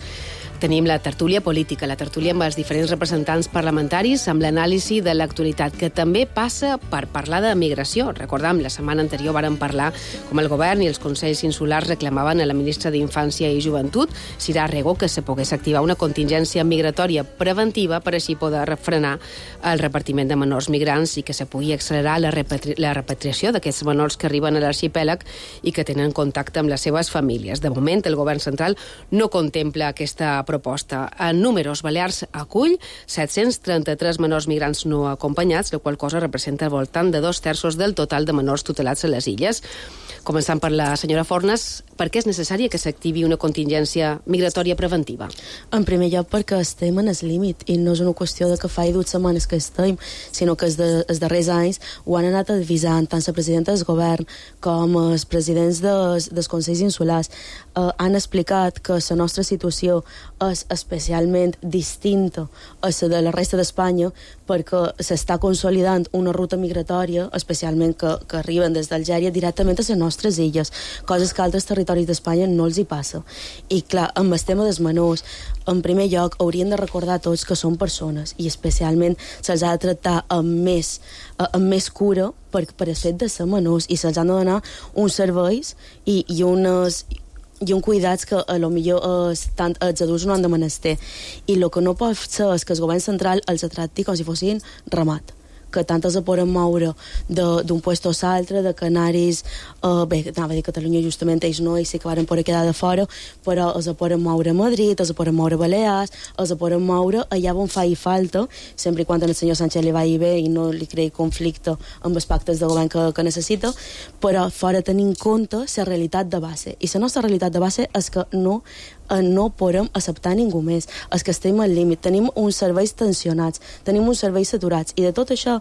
tenim la tertúlia política, la tertúlia amb els diferents representants parlamentaris, amb l'anàlisi de l'actualitat, que també passa per parlar de migració. Recordam, la setmana anterior vàrem parlar com el govern i els consells insulars reclamaven a la ministra d'Infància i Joventut, Sira Rego, que se pogués activar una contingència migratòria preventiva per així poder frenar el repartiment de menors migrants i que se pugui accelerar la, repatri la repatriació d'aquests menors que arriben a l'arxipèlag i que tenen contacte amb les seves famílies. De moment, el govern central no contempla aquesta proposta. En números, Balears acull set-cents trenta-tres menors migrants no acompanyats, la qual cosa representa al voltant de dos terços del total de menors tutelats a les illes. Començant per la senyora Fornes, per què és necessari que s'activi una contingència migratòria preventiva? En primer lloc, perquè estem en el límit i no és una qüestió de que fa dues setmanes que estem, sinó que els, de, els darrers anys ho han anat avisant tant la presidenta del govern com els presidents dels, dels consells insulars. Eh, han explicat que la nostra situació és especialment distinta a la de la resta d'Espanya perquè s'està consolidant una ruta migratòria, especialment que, que arriben des d'Algèria directament a les nostres illes, coses que a altres territoris d'Espanya no els hi passa. I clar, amb el tema dels menors, en primer lloc haurien de recordar tots que són persones i especialment se'ls ha de tractar amb més, amb més cura per, per el fet de ser menors i se'ls han de donar uns serveis i, i unes i un cuidats que a lo millor eh, tant els adults no han de menester. I el que no pot ser és que el govern central els tracti com si fossin ramat, que tant els poden moure d'un puesto a l'altre, de canaris, eh, bé, anava a dir Catalunya, justament ells no, ells sí que van poder quedar de fora, però els poden moure a Madrid, els poden moure a Balears, els poden moure allà on faci falta, sempre i quan el senyor Sánchez li vagi bé i no li creï conflicte amb els pactes de govern que, que necessita, però fora tenir en compte la realitat de base. I la nostra realitat de base és que no no podem acceptar ningú més. És que estem al límit. Tenim uns serveis tensionats, tenim uns serveis saturats. I de tot això,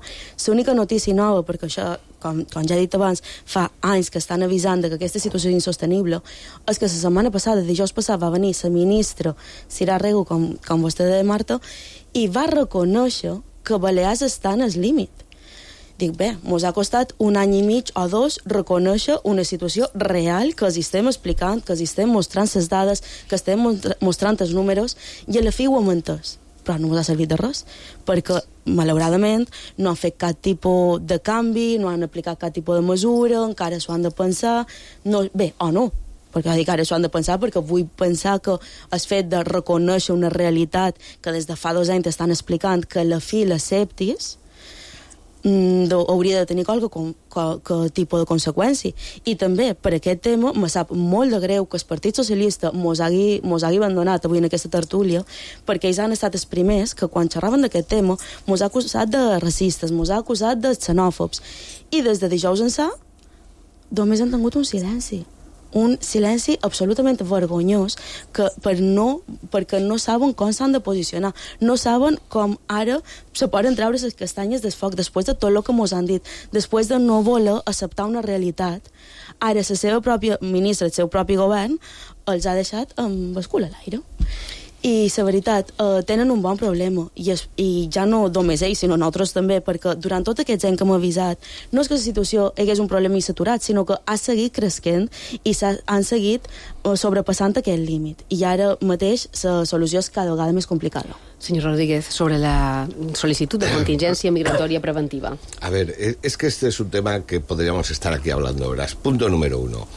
l'única notícia nova, perquè això, com, com ja he dit abans, fa anys que estan avisant que aquesta situació és insostenible, és que la setmana passada, dijous passat, va venir la ministra Sira Rego, com, com vostè deia, Marta, i va reconèixer que Balears està en el límit. Dic, bé, mos ha costat un any i mig o dos reconèixer una situació real que els estem explicant, que els estem mostrant les dades, que estem mostrant els números, i a la fi ho hem entès. Però no ens ha servit de res, perquè, malauradament, no han fet cap tipus de canvi, no han aplicat cap tipus de mesura, encara s'ho han de pensar, no, bé, o no, perquè dic, ara s'ho han de pensar, perquè vull pensar que el fet de reconèixer una realitat que des de fa dos anys estan explicant que la fi l'acceptis, mm, de, hauria de tenir qualque, qualque tipus de conseqüència. I també, per aquest tema, me sap molt de greu que el Partit Socialista mos hagi, mos hagi abandonat avui en aquesta tertúlia, perquè ells han estat els primers que, quan xerraven d'aquest tema, mos ha acusat de racistes, mos ha acusat de xenòfobs. I des de dijous ençà, només han tingut un silenci. Un silenci absolutament vergonyós que per no, perquè no saben com s'han de posicionar, no saben com ara se poden treure les castanyes del foc després de tot el que mos han dit, després de no voler acceptar una realitat. Ara la seva pròpia ministra, el seu propi govern, els ha deixat amb el cul a l'aire. I la veritat, eh, tenen un bon problema, i, es, i ja no només ells, sinó nosaltres també, perquè durant tots aquests anys que hem avisat, no és que la situació hagués un problema i saturat, sinó que ha seguit creixent i han seguit eh, sobrepassant aquest límit. I ara mateix la solució és cada vegada més complicada. Señor Rodríguez, sobre la solicitud de contingencia migratoria preventiva. A ver, es que este es un tema que podríamos estar aquí hablando horas. Punto número uno.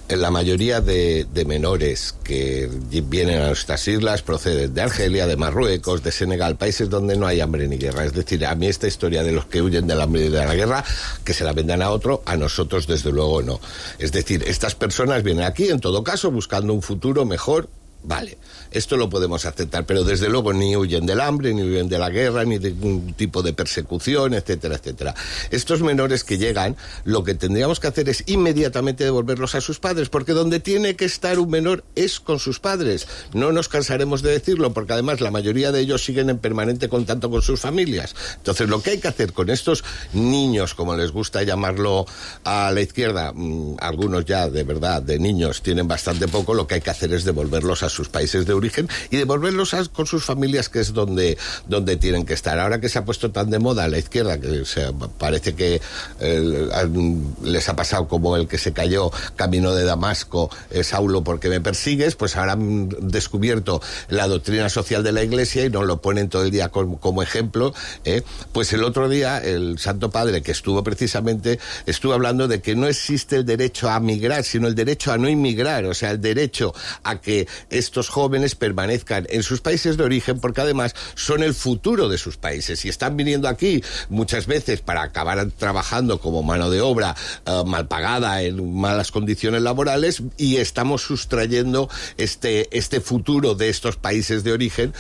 La mayoría de, de menores que vienen a nuestras islas proceden de Argelia, de Marruecos, de Senegal, países donde no hay hambre ni guerra. Es decir, a mí esta historia de los que huyen del hambre y de la guerra, que se la vendan a otro, a nosotros desde luego no. Es decir, estas personas vienen aquí, en todo caso, buscando un futuro mejor. Vale, esto lo podemos aceptar, pero desde luego ni huyen del hambre, ni huyen de la guerra, ni de ningún tipo de persecución, etcétera, etcétera. Estos menores que llegan, lo que tendríamos que hacer es inmediatamente devolverlos a sus padres, porque donde tiene que estar un menor es con sus padres. No nos cansaremos de decirlo, porque además la mayoría de ellos siguen en permanente contacto con sus familias. Entonces, lo que hay que hacer con estos niños, como les gusta llamarlo a la izquierda, mmm, algunos ya de verdad, de niños, tienen bastante poco, lo que hay que hacer es devolverlos a sus países de origen y devolverlos a, con sus familias, que es donde, donde tienen que estar. Ahora que se ha puesto tan de moda a la izquierda, que se, parece que eh, les ha pasado como el que se cayó camino de Damasco, eh, Saulo, ¿por qué me persigues? Pues ahora han descubierto la doctrina social de la Iglesia y nos lo ponen todo el día como, como ejemplo. ¿eh? Pues el otro día el Santo Padre, que estuvo precisamente, estuvo hablando de que no existe el derecho a migrar, sino el derecho a no inmigrar, o sea, el derecho a que estos jóvenes permanezcan en sus países de origen, porque además son el futuro de sus países y están viniendo aquí muchas veces para acabar trabajando como mano de obra uh, mal pagada, en malas condiciones laborales, y estamos sustrayendo este, este futuro de estos países de origen,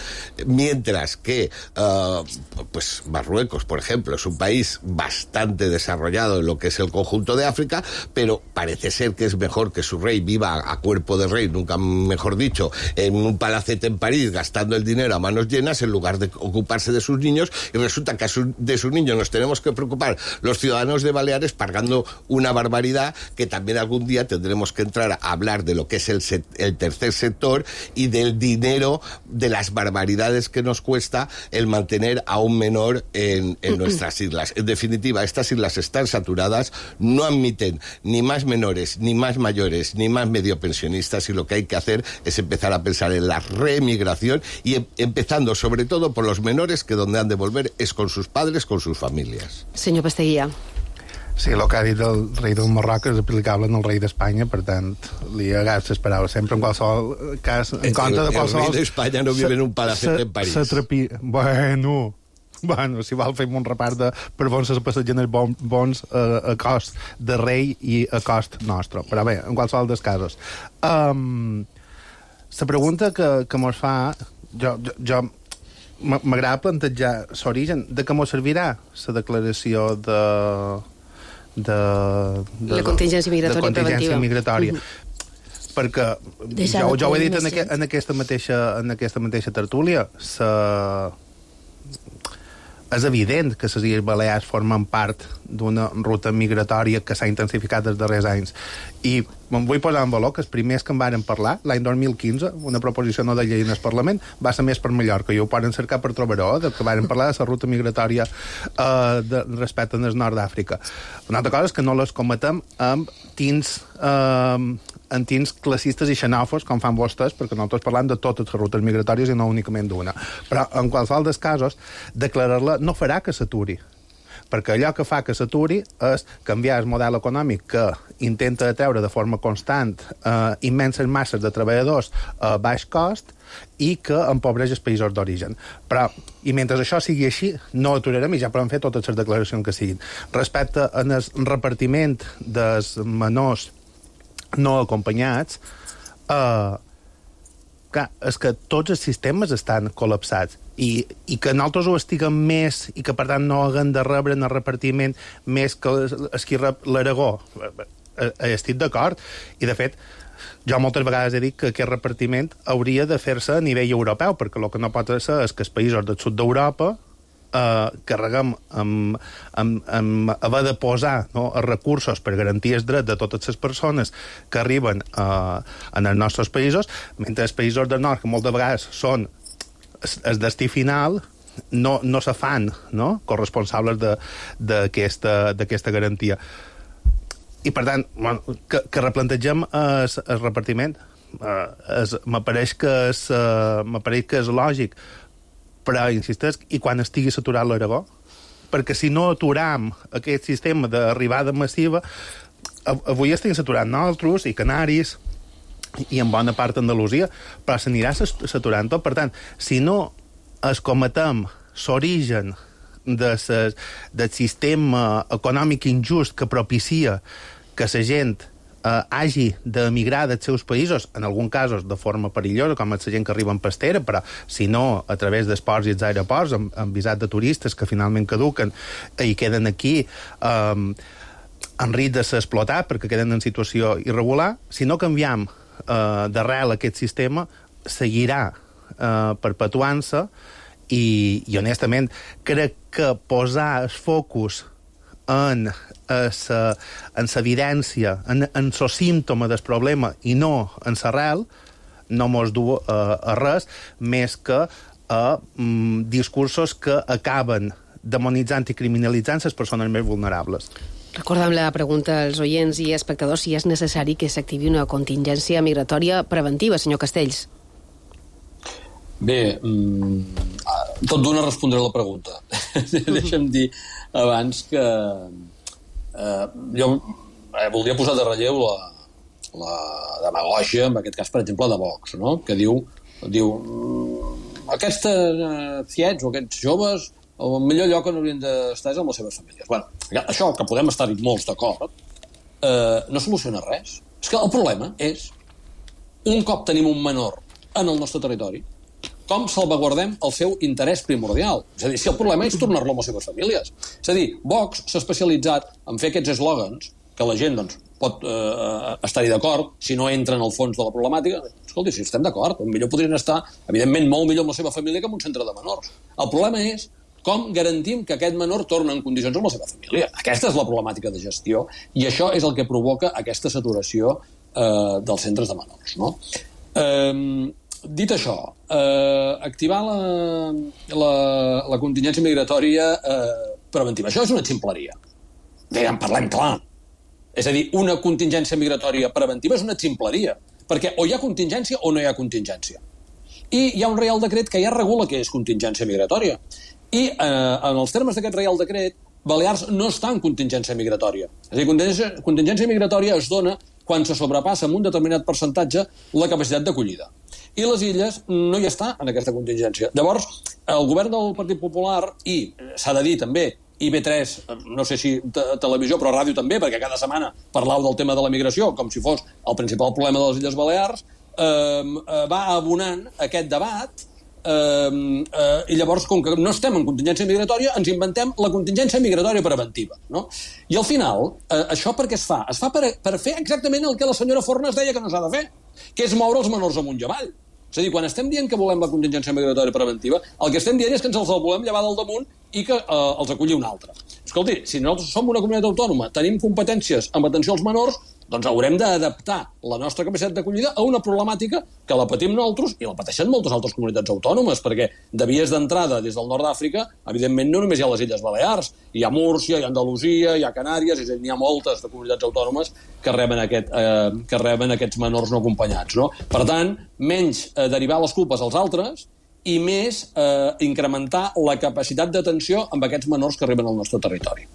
mientras que uh, pues Marruecos, por ejemplo, es un país bastante desarrollado en lo que es el conjunto de África, pero parece ser que es mejor que su rey viva a, a cuerpo de rey, nunca mejor dicho, en un palacete en París gastando el dinero a manos llenas en lugar de ocuparse de sus niños, y resulta que a su, de sus niños nos tenemos que preocupar los ciudadanos de Baleares pagando una barbaridad, que también algún día tendremos que entrar a hablar de lo que es el, set, el tercer sector y del dinero, de las barbaridades que nos cuesta el mantener a un menor en, en nuestras islas. En definitiva, estas islas están saturadas, no admiten ni más menores, ni más mayores, ni más medio pensionistas, y lo que hay que hacer es empezar a pensar en la reemigración y em empezando sobre todo por los menores, que donde han de volver es con sus padres, con sus familias. Senyor Pasteguía. Sí, el que ha dit el rei del Marroc és aplicable en el rei d'Espanya, per tant, li hagués esperat sempre en qualsevol cas, en compte de qualsevol... El rei d'Espanya no vive en un palacete en París. Se trapi... Bueno... Bueno, si vol fem un repart de per on se passegen els bons, bons uh, a cost de rei i a cost nostre. Però bé, en qualsevol dels casos. Um, la pregunta que, que mos fa, jo, jo, jo m'agrada plantejar l'origen de què mos servirà la declaració de... de, de la contingència migratòria de contingència preventiva. migratòria. Mm-hmm. Perquè jo, jo ho he dit en, aqu en, aquesta mateixa, en aquesta mateixa tertúlia, sa... és evident que les Illes Balears formen part d'una ruta migratòria que s'ha intensificat els darrers anys. I em vull posar en valor que els primers que en varen parlar, l'any dos mil quinze, una proposició no de llei en el Parlament, va ser més per Mallorca, i ho poden cercar per trobar-ho, de que varen parlar de la ruta migratòria eh, de, respecte al nord d'Àfrica. Una altra cosa és que no les cometem amb tins... Eh, en tins classistes i xenòfobs, com fan vostès, perquè nosaltres parlem de totes les rutes migratòries i no únicament d'una. Però, en qualsevol dels casos, declarar-la no farà que s'aturi. perquè allò que fa que s'aturi és canviar el model econòmic que intenta atreure de forma constant eh, immenses masses de treballadors a baix cost i que empobreix els països d'origen. Però, i mentre això sigui així, no aturarem i ja podem fer totes les declaracions que siguin. Respecte al repartiment dels menors no acompanyats, eh, clar, és que tots els sistemes estan col·lapsats i, i que nosaltres ho estiguem més i que, per tant, no haguem de rebre en el repartiment més que els qui rep l'Aragó. Estic d'acord. I, de fet, jo moltes vegades he dit que aquest repartiment hauria de fer-se a nivell europeu, perquè el que no pot ser és que els països del sud d'Europa eh, carreguem amb, amb, amb haver de posar no, els recursos per garantir els drets de totes les persones que arriben eh, en els nostres països, mentre els països del nord, que moltes vegades són el destí final, no, no se fan no, corresponsables d'aquesta garantia. I, per tant, bueno, que, que replantegem el, el repartiment. Uh, es, m'apareix que és, uh, m'apareix que és lògic, però, insistesc, i quan estigui saturat l'Aragó? Perquè si no aturam aquest sistema d'arribada massiva, avui estem saturant nosaltres i Canaris, i en bona part Andalusia, però s'anirà saturant tot. Per tant, si no escometem l'origen de ses, del sistema econòmic injust que propicia que la gent eh, hagi d'emigrar dels seus països, en alguns casos de forma perillosa, com la gent que arriba en pastera, però si no, a través dels ports i els aeroports, amb, amb visat de turistes que finalment caduquen i queden aquí eh, en risc de ser explotat perquè queden en situació irregular, si no canviem Uh, d'arrel aquest sistema seguirà uh, perpetuant-se i, i honestament crec que posar el focus en l'evidència, en el símptoma del problema i no en l'arrel no mos du uh, a res més que a um, discursos que acaben demonitzant i criminalitzant les persones més vulnerables. Recordem la pregunta als oients i espectadors si és necessari que s'activi una contingència migratòria preventiva, senyor Castells. Bé, mmm, tot d'una respondré la pregunta. Deixa'm dir abans que eh, jo eh, voldria posar de relleu la, la demagògia, en aquest cas, per exemple, de Vox, no? Que diu, diu aquests eh, fiets o aquests joves el millor lloc on haurien d'estar és amb les seves famílies. Bueno, això, que podem estar-hi molts d'acord, eh, no soluciona res. És que el problema és, un cop tenim un menor en el nostre territori, com salvaguardem el seu interès primordial. És a dir, si el problema és tornar-lo amb les seves famílies. És a dir, Vox s'ha especialitzat en fer aquests eslògans que la gent doncs, pot eh, estar-hi d'acord si no entra en el fons de la problemàtica. Escolti, si estem d'acord, millor podrien estar, evidentment, molt millor amb la seva família que en un centre de menors. El problema és com garantim que aquest menor torna en condicions amb la seva família. Aquesta és la problemàtica de gestió i això és el que provoca aquesta saturació eh, dels centres de menors. No? Eh, dit això, eh, activar la, la, la contingència migratòria eh, preventiva. Això és una ximpleria. Diguem, parlem clar. És a dir, una contingència migratòria preventiva és una ximpleria, perquè o hi ha contingència o no hi ha contingència. I hi ha un reial decret que ja regula què és contingència migratòria. I eh, en els termes d'aquest reial decret, Balears no està en contingència migratòria. És a dir, contingència, contingència migratòria es dona quan se sobrepassa amb un determinat percentatge la capacitat d'acollida. I les illes no hi està en aquesta contingència. Llavors, el govern del Partit Popular, i s'ha de dir també, i B tres, no sé si televisió, però ràdio també, perquè cada setmana parlau del tema de la migració, com si fos el principal problema de les Illes Balears, eh, va abonant aquest debat. Uh, uh, i llavors, com que no estem en contingència migratòria, ens inventem la contingència migratòria preventiva, no? I al final, uh, això per què es fa? Es fa per, per fer exactament el que la senyora Fornes deia que no s'ha de fer, que és moure els menors amunt i avall. És a dir, quan estem dient que volem la contingència migratòria preventiva, el que estem dient és que ens els volem llevar del damunt i que uh, els acolli un altre. Escolti, si nosaltres som una comunitat autònoma, tenim competències en atenció als menors, doncs haurem d'adaptar la nostra capacitat d'acollida a una problemàtica que la patim nosaltres i la pateixen moltes altres comunitats autònomes, perquè de vies d'entrada des del nord d'Àfrica, evidentment no només hi ha les Illes Balears, hi ha Múrcia, hi ha Andalusia, hi ha Canàries, és a dir, n'hi ha moltes de comunitats autònomes que reben, aquest, eh, que reben aquests menors no acompanyats. No? Per tant, menys eh, derivar les culpes als altres i més eh, incrementar la capacitat d'atenció amb aquests menors que arriben al nostre territori.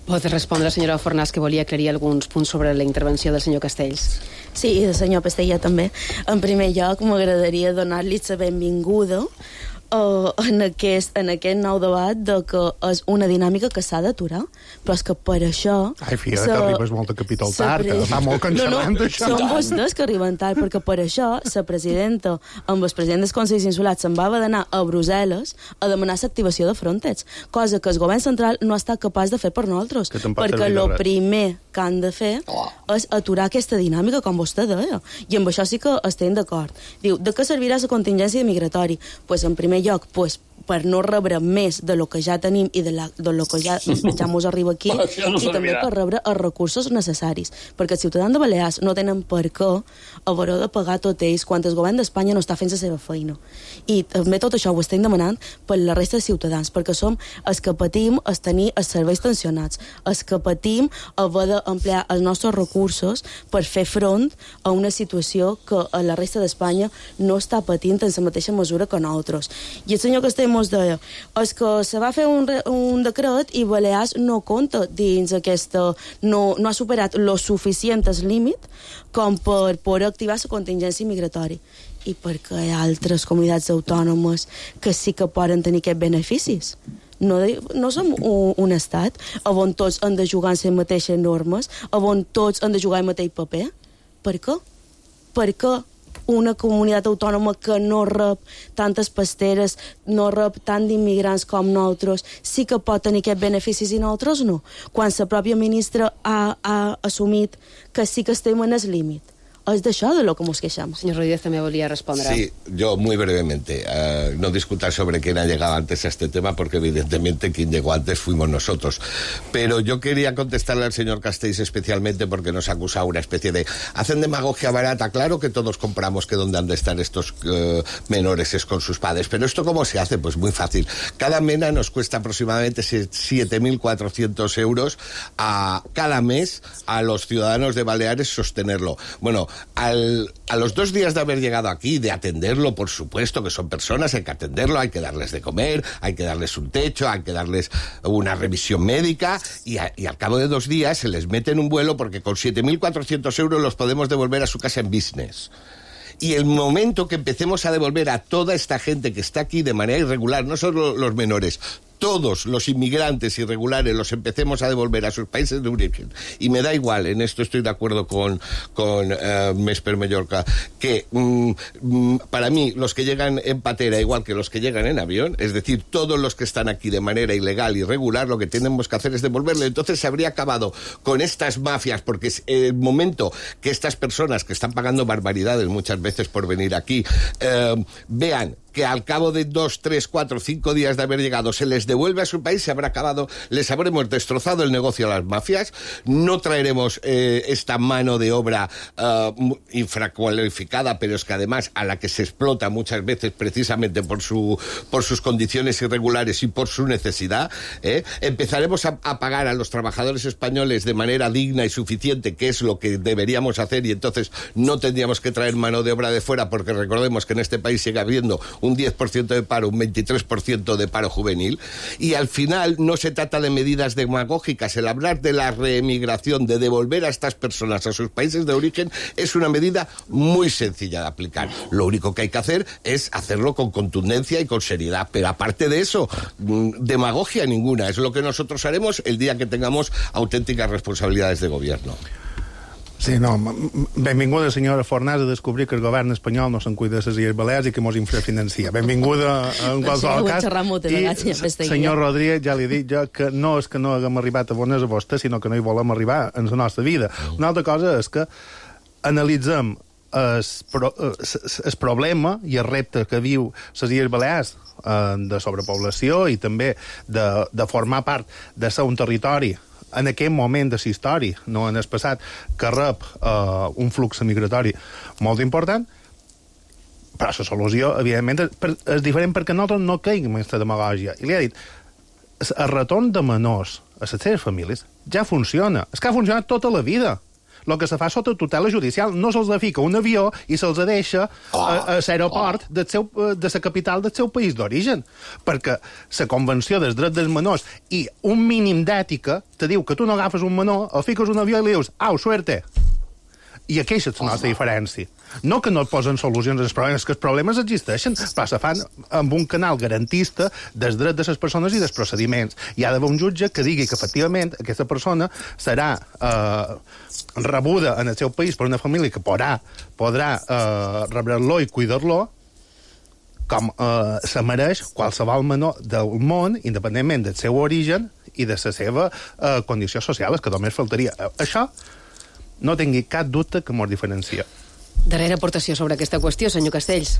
Pot respondre, senyora Fornàs, que volia aclarir alguns punts sobre la intervenció del senyor Castells. Sí, i del senyor Pestella també. En primer lloc, m'agradaria donar-li la benvinguda uh, en, aquest, en aquest nou debat de que és una dinàmica que s'ha d'aturar, però és que per això... Ai, fia, sa... t'arribes molt a capítol tard, que fa molt que en xerrem d'això. No, no, són vostès que arriben tard, perquè per això la presidenta amb el president dels Consells Insulars se'n va haver d'anar a Brussel·les a demanar l'activació de Frontex, cosa que el govern central no ha estat capaç de fer per nosaltres, perquè el primer que han de fer és aturar aquesta dinàmica, com vostè deia, i amb això sí que estem d'acord. Diu, de què servirà la contingència migratori? Pues, en primer lloc, pues, per no rebre més de lo que ja tenim i de, la, de lo que ja, ja mos arriba aquí, no i també per rebre els recursos necessaris, perquè els ciutadans de Balears no tenen per què haver de pagar tot ells quan el govern d'Espanya no està fent la seva feina. I també tot això ho estem demanant per la resta de ciutadans, perquè som els que patim els tenir els serveis tensionats, els que patim haver d'emplear els nostres recursos per fer front a una situació que a la resta d'Espanya no està patint en la mateixa mesura que nosaltres. I el senyor Castells mos deia, és que se va fer un, un decret i Balears no compta dins aquesta... No, no ha superat lo suficient el límit com per poder activar la contingència migratori. I perquè hi ha altres comunitats autònomes que sí que poden tenir aquests beneficis. No, no som un, un estat on tots han de jugar en les mateixes normes, on tots han de jugar el mateix paper. Per què? Per què una comunitat autònoma que no rep tantes pasteres, no rep tant d'immigrants com nosaltres, sí que pot tenir aquests beneficis i nosaltres no? Quan la pròpia ministra ha, ha assumit que sí que estem en el límit. Es d'això de lo que nos queixamos. Señor Rodríguez también volvía a responder. Sí, yo muy brevemente. Uh, no discutir sobre quién ha llegado antes a este tema, porque evidentemente quien llegó antes fuimos nosotros. Pero yo quería contestarle al señor Castells especialmente porque nos ha acusado una especie de... Hacen demagogia barata. Claro que todos compramos que dónde han de estar estos uh, menores es con sus padres. Pero ¿esto cómo se hace? Pues muy fácil. Cada mena nos cuesta aproximadamente siete mil cuatrocientos euros a cada mes a los ciudadanos de Baleares sostenerlo. Bueno, Al, a los dos días de haber llegado aquí, de atenderlo, por supuesto que son personas, hay que atenderlo, hay que darles de comer, hay que darles un techo, hay que darles una revisión médica y, a, y al cabo de dos días se les mete en un vuelo porque con siete mil cuatrocientos euros los podemos devolver a su casa en business. Y el momento que empecemos a devolver a toda esta gente que está aquí de manera irregular, no solo los menores, todos los inmigrantes irregulares los empecemos a devolver a sus países de origen. Y me da igual, en esto estoy de acuerdo con, con uh, Mesper Mallorca, que um, para mí los que llegan en patera igual que los que llegan en avión, es decir, todos los que están aquí de manera ilegal, irregular, lo que tenemos que hacer es devolverle. Entonces se habría acabado con estas mafias, porque es el momento que estas personas que están pagando barbaridades muchas veces por venir aquí, uh, vean que al cabo de dos, tres, cuatro, cinco días de haber llegado se les devuelve a su país, se habrá acabado, les habremos destrozado el negocio a las mafias, no traeremos eh, esta mano de obra uh, infracualificada, pero es que además a la que se explota muchas veces precisamente por su por sus condiciones irregulares y por su necesidad, ¿eh? Empezaremos a, a pagar a los trabajadores españoles de manera digna y suficiente, que es lo que deberíamos hacer, y entonces no tendríamos que traer mano de obra de fuera, porque recordemos que en este país sigue habiendo un diez por ciento de paro, un veintitrés por ciento de paro juvenil, y al final no se trata de medidas demagógicas. El hablar de la reemigración, de devolver a estas personas a sus países de origen, es una medida muy sencilla de aplicar. Lo único que hay que hacer es hacerlo con contundencia y con seriedad, pero aparte de eso, demagogia ninguna. Es lo que nosotros haremos el día que tengamos auténticas responsabilidades de gobierno. Sí, no, benvinguda, senyora Fornàs, a descobrir que el govern espanyol no se'n cuida de les Illes Balears i que mos infrafinancia. Benvinguda en qualsevol cas. I, senyor Rodríguez, ja li he dit jo que no és que no haguem arribat a bones a vostè, sinó que no hi volem arribar en la nostra vida. Una altra cosa és que analitzem el, pro, el problema i el repte que viu les Illes Balears eh, de sobrepoblació i també de, de formar part de ser un territori en aquest moment de la història, no en el passat, que rep uh, un flux migratori molt important, però la solució, evidentment, és diferent perquè nosaltres no caiguem en aquesta demagògia. I li ha dit, el retorn de menors a les seves famílies ja funciona. És que ha funcionat tota la vida. el que se fa sota tutela judicial. No se'ls fica un avió i se'ls deixa oh, a, a l'aeroport oh. del seu, de la capital del seu país d'origen. Perquè la Convenció dels Drets dels Menors i un mínim d'ètica te diu que tu no agafes un menor, el fiques un avió i li dius, au, suerte. I aquesta és la nostra diferència. No que no posen solucions als problemes, que els problemes existeixen, però se fan amb un canal garantista dels drets de les persones i dels procediments. Hi ha d'haver un jutge que digui que, efectivament, aquesta persona serà eh, rebuda en el seu país per una família que podrà, podrà eh, rebre-lo i cuidar-lo com eh, se mereix qualsevol menor del món, independentment del seu origen i de la seva eh, condició social, que només faltaria. Això no tingui cap dubte que mos diferencia. Darrera aportació sobre aquesta qüestió, senyor Castells.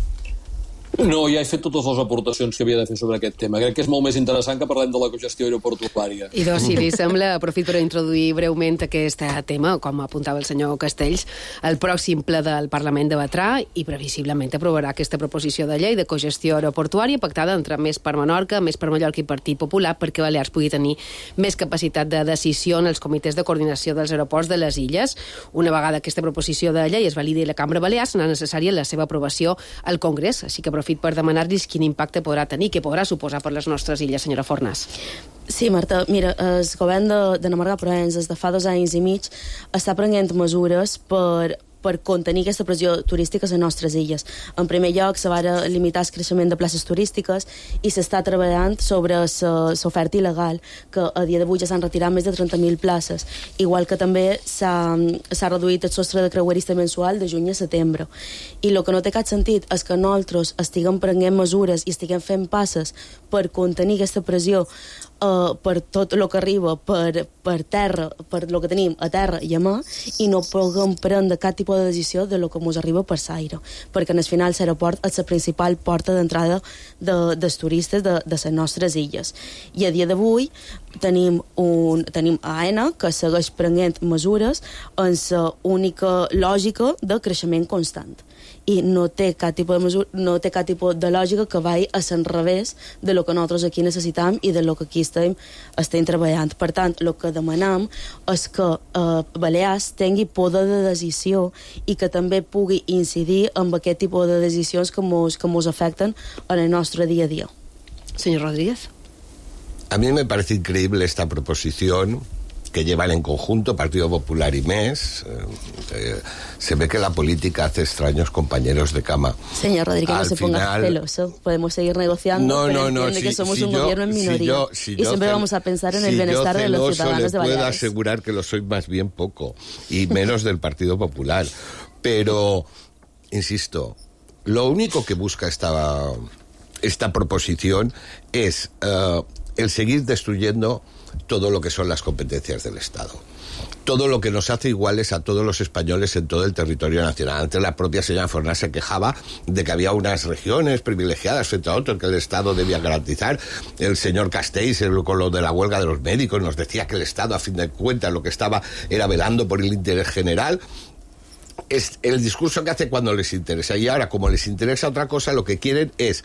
No, ja he fet totes les aportacions que havia de fer sobre aquest tema. Crec que és molt més interessant que parlem de la cogestió aeroportuària. I doncs, si li sembla, aprofit per introduir breument aquest tema, com apuntava el senyor Castells. El pròxim ple del Parlament debatrà i previsiblement aprovarà aquesta proposició de llei de cogestió aeroportuària pactada entre Més per Menorca, Més per Mallorca i Partit Popular perquè Balears pugui tenir més capacitat de decisió en els comitès de coordinació dels aeroports de les illes. Una vegada aquesta proposició de llei es validi a la Cambra Balear, serà necessària la seva aprovació al Congrés, així que aprofit per demanar-los quin impacte podrà tenir, què podrà suposar per les nostres illes, senyora Fornas. Sí, Marta, mira, el govern de, de Namarga Provenç des de fa dos anys i mig està prenent mesures per per contenir aquesta pressió turística a les nostres illes. En primer lloc, se va limitar el creixement de places turístiques i s'està treballant sobre l'oferta il·legal, que a dia d'avui ja s'han retirat més de trenta mil places, igual que també s'ha reduït el sostre de creuerista mensual de juny a setembre. I el que no té cap sentit és que nosaltres estiguem prenent mesures i estiguem fent passes per contenir aquesta pressió Uh, per tot el que arriba per, per terra, per el que tenim a terra i a mà, i no puguem prendre cap tipus de decisió de lo que ens arriba per l'aire, perquè en el final l'aeroport és la principal porta d'entrada de, dels turistes de, de les nostres illes. I a dia d'avui tenim, un, tenim A E N A que segueix prenent mesures en la única lògica de creixement constant. I no té cap tipus de mesura, no té cap tipus de lògica que vagi a l'enrevés de lo que nosaltres aquí necessitam i de lo que aquí estem, estem treballant. Per tant, el que demanem és que eh, Balears tingui poder de decisió i que també pugui incidir en aquest tipus de decisions que mos, que mos afecten en el nostre dia a dia. Señor Rodríguez. A mí me parece increíble esta proposición que llevan en conjunto Partido Popular y Més. Eh, se ve que la política hace extraños compañeros de cama. Señor Rodríguez, Al no se final... ponga celoso. Podemos seguir negociando, no, pero no, no, entiende si, que somos si un yo, gobierno en minoría. Si yo, si y siempre cel... vamos a pensar en si el bienestar de los ciudadanos de Baleares. Le puedo asegurar que lo soy más bien poco, y menos del Partido Popular. Pero, insisto, lo único que busca esta, esta proposición es uh, el seguir destruyendo todo lo que son las competencias del Estado. Todo lo que nos hace iguales a todos los españoles en todo el territorio nacional. Antes la propia señora Fornas se quejaba de que había unas regiones privilegiadas frente a otras que el Estado debía garantizar. El señor Castells, con lo de la huelga de los médicos, nos decía que el Estado, a fin de cuentas, lo que estaba era velando por el interés general. Es el discurso que hace cuando les interesa. Y ahora, como les interesa otra cosa, lo que quieren es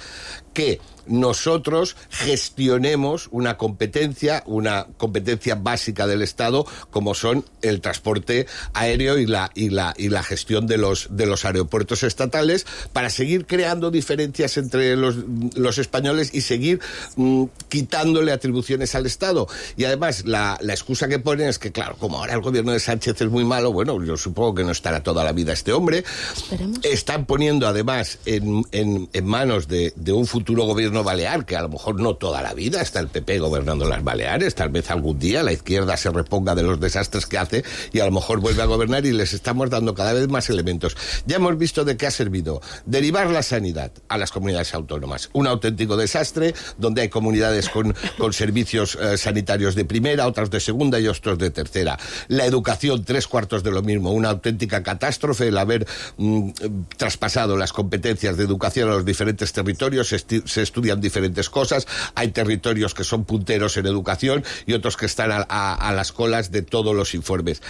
que nosotros gestionemos una competencia, una competencia básica del Estado, como son el transporte aéreo y la y la y la gestión de los de los aeropuertos estatales, para seguir creando diferencias entre los los españoles y seguir mmm, quitándole atribuciones al Estado. Y además la, la excusa que ponen es que, claro, como ahora el gobierno de Sánchez es muy malo, bueno, yo supongo que no estará toda la vida este hombre. Esperemos. Están poniendo además en, en, en manos de, de un futuro gobierno balear, que a lo mejor no toda la vida está el P P gobernando las Baleares, tal vez algún día la izquierda se reponga de los desastres que hace y a lo mejor vuelve a gobernar, y les estamos dando cada vez más elementos. Ya hemos visto de qué ha servido derivar la sanidad a las comunidades autónomas. Un auténtico desastre, donde hay comunidades con, con servicios eh, sanitarios de primera, otras de segunda y otros de tercera. La educación, tres cuartos de lo mismo, una auténtica catástrofe el haber mm, traspasado las competencias de educación a los diferentes territorios. Se, esti- se estudian diferentes cosas, hay territorios que son punteros en educación y otros que están a, a, a las colas de todos los informes.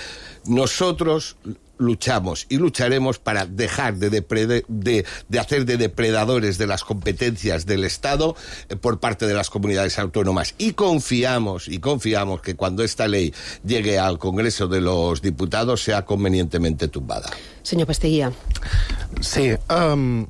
Nosotros luchamos y lucharemos para dejar de, depre- de, de hacer de depredadores de las competencias del Estado eh, por parte de las comunidades autónomas. Y confiamos, y confiamos que cuando esta ley llegue al Congreso de los Diputados sea convenientemente tumbada. Senyor Pasteguia. Sí, um,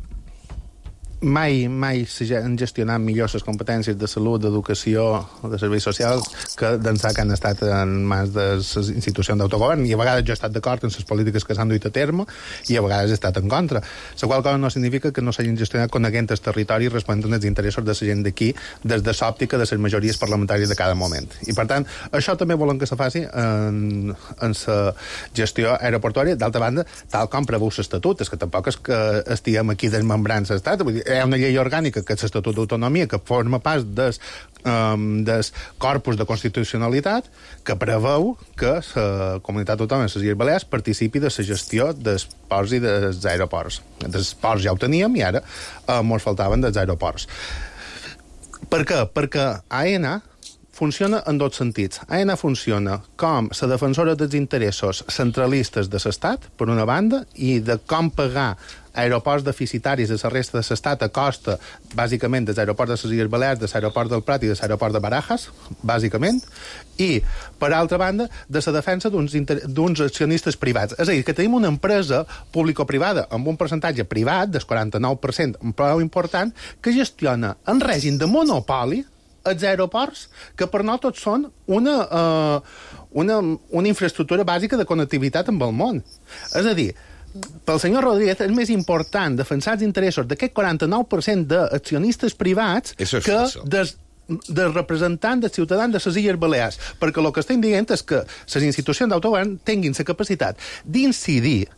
mai, mai s'han gestionat millor les competències de salut, d'educació, de serveis socials, que d'ençà que han estat en mans de les institucions d'autogovern, i a vegades jo he estat d'acord en les polítiques que s'han duit a terme, i a vegades he estat en contra. La qual cosa no significa que no s'hagin gestionat coneguent el territori i responent als interessos de la gent d'aquí, des de l'òptica de les majories parlamentàries de cada moment. I, per tant, això també volen que se faci en, en la gestió aeroportuària. D'altra banda, tal com preveu l'Estatut, és que tampoc és que estiguem aquí desmembrant l'Estat, vull dir, hi ha una llei orgànica, que és l'Estatut d'Autonomia, que forma part des, um, des corpus de constitucionalitat, que preveu que la comunitat autònoma de les Illes Balears participi de la gestió dels ports i dels aeroports. Dels ports ja ho teníem i ara uh, ens faltaven dels aeroports. Per què? Perquè AENA funciona en dos sentits. AENA funciona com la defensora dels interessos centralistes de l'Estat, per una banda, i de com pagar aeroports deficitaris de la resta de l'Estat a costa, bàsicament, dels aeroports de les Illes Balears, de l'aeroport del Prat i de l'aeroport de Barajas, bàsicament, i, per altra banda, de la defensa d'uns, inter... d'uns accionistes privats. És a dir, que tenim una empresa público-privada amb un percentatge privat, del quaranta-nou per cent, prou important, que gestiona en règim de monopoli els aeroports, que per nosaltres són una, uh, una, una infraestructura bàsica de connectivitat amb el món. És a dir, pel senyor Rodríguez és més important defensar els interessos d'aquest quaranta-nou per cent d'accionistes privats que des, dels representants dels ciutadans de les Illes Balears, perquè el que estem dient és que les institucions d'autogovern tinguin la capacitat d'incidir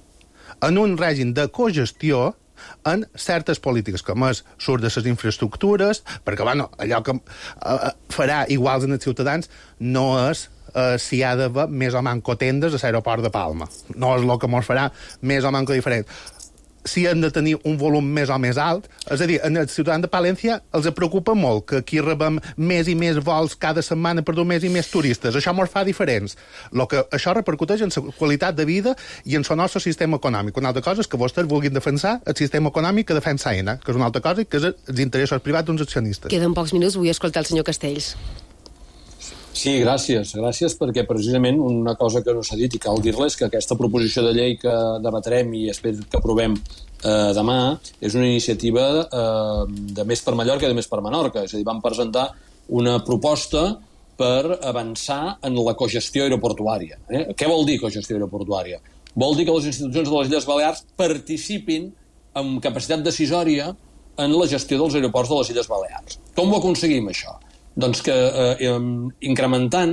en un règim de cogestió en certes polítiques, com és surt de les infraestructures, perquè bueno, allò que uh, farà iguals en els ciutadans no és uh, si hi ha d'haver més o manco tendes a l'aeroport de Palma. No és el que ens farà més o manco diferent. Si han de tenir un volum més o més alt, és a dir, en els ciutadans de Palència els preocupa molt que aquí rebem més i més vols cada setmana per dur més i més turistes. Això ens fa diferents. Lo que això repercuteix en la qualitat de vida i en el nostre sistema econòmic. Una altra cosa és que vostès vulguin defensar el sistema econòmic que defensa AENA, que és una altra cosa, que és els interessos privats d'uns accionistes. Queden pocs minuts, vull escoltar el senyor Castells. Sí, gràcies. Gràcies perquè precisament una cosa que no s'ha dit i cal dir-les que aquesta proposició de llei que debatrem i espero que aprovem eh, demà és una iniciativa eh, de Més per Mallorca i de Més per Menorca. És a dir, vam presentar una proposta per avançar en la cogestió aeroportuària. Eh? Què vol dir cogestió aeroportuària? Vol dir que les institucions de les Illes Balears participin amb capacitat decisòria en la gestió dels aeroports de les Illes Balears. Com ho aconseguim, això? Doncs que eh, incrementant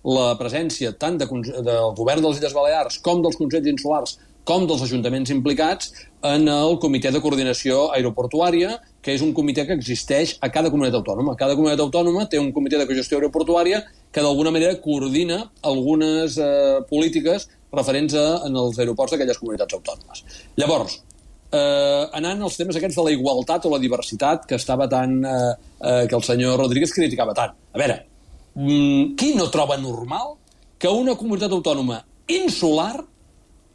la presència tant de, del govern de les Illes Balears com dels consells insulars com dels ajuntaments implicats en el comitè de coordinació aeroportuària, que és un comitè que existeix a cada comunitat autònoma. Cada comunitat autònoma té un comitè de cogestió aeroportuària que d'alguna manera coordina algunes eh, polítiques referents a, en els aeroports d'aquelles comunitats autònomes. Llavors, Eh, anant als temes aquests de la igualtat o la diversitat que estava tan eh, eh, que el senyor Rodríguez criticava tant. A veure, mm, qui no troba normal que una comunitat autònoma insular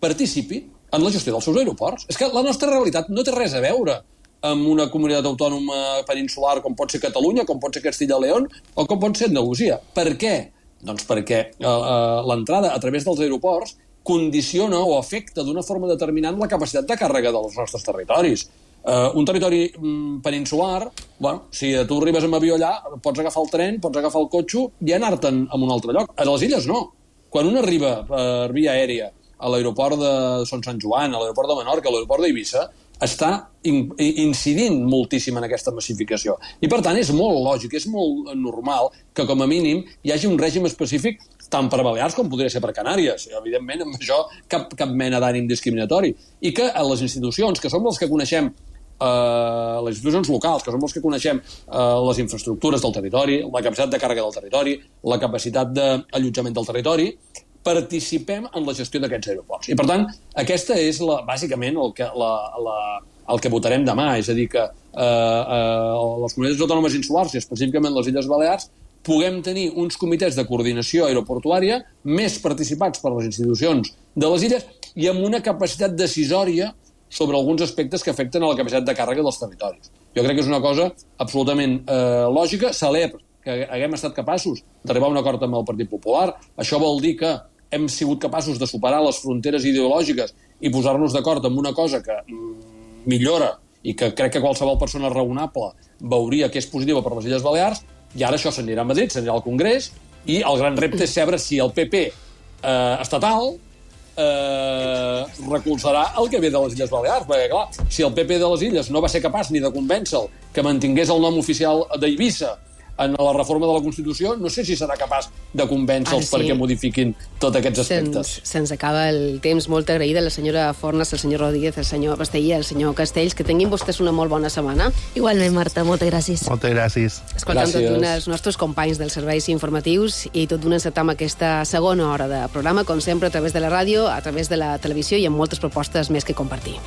participi en la gestió dels seus aeroports? És que la nostra realitat no té res a veure amb una comunitat autònoma peninsular com pot ser Catalunya, com pot ser Castilla i León o com pot ser Andalusia. Per què? Doncs perquè eh, eh, l'entrada a través dels aeroports condiciona o afecta d'una forma determinant la capacitat de càrrega dels nostres territoris. Uh, un territori mm, peninsular, bueno, si tu arribes amb avió allà, pots agafar el tren, pots agafar el cotxe i anar-te'n a un altre lloc. A les illes no. Quan un arriba per via aèria a l'aeroport de Son Sant Joan, a l'aeroport de Menorca, a l'aeroport d'Eivissa, està in incidint moltíssim en aquesta massificació. I, per tant, és molt lògic, és molt normal que, com a mínim, hi hagi un règim específic tant per Balears com podria ser per Canàries. I, evidentment, amb això cap, cap mena d'ànim discriminatori. I que a les institucions, que som les que coneixem eh, les institucions locals, que som els que coneixem eh, les infraestructures del territori, la capacitat de càrrega del territori, la capacitat d'allotjament del territori, participem en la gestió d'aquests aeroports. I, per tant, aquesta és la, bàsicament el que, la, la, el que votarem demà, és a dir, que eh, eh, les comunitats autònomes insulars, i específicament les Illes Balears, puguem tenir uns comitès de coordinació aeroportuària més participats per les institucions de les illes, i amb una capacitat decisòria sobre alguns aspectes que afecten a la capacitat de càrrega dels territoris. Jo crec que és una cosa absolutament eh, lògica, celebre, que haguem estat capaços d'arribar a un acord amb el Partit Popular. Això vol dir que hem sigut capaços de superar les fronteres ideològiques i posar-nos d'acord amb una cosa que mm, millora i que crec que qualsevol persona raonable veuria que és positiva per les Illes Balears, i ara això s'anirà a Madrid, s'anirà al Congrés, i el gran repte és saber si el P P eh, estatal eh, recolzarà el que ve de les Illes Balears, perquè, clar, si el P P de les Illes no va ser capaç ni de convèncer-lo que mantingués el nom oficial d'Eivissa en la reforma de la Constitució, no sé si serà capaç de convèncer-los sí. perquè modifiquin tots aquests aspectes. Se'ns, se'ns acaba el temps. Molt agraïda la senyora Fornes, el senyor Rodríguez, el senyor Pastellí, el senyor Castells. Que tinguin vostès una molt bona setmana. Igualment, Marta, moltes gràcies. Moltes gràcies. Escoltant tot d'una els nostres companys dels serveis informatius i tot d'una encetar amb aquesta segona hora de programa, com sempre, a través de la ràdio, a través de la televisió i amb moltes propostes més que compartir.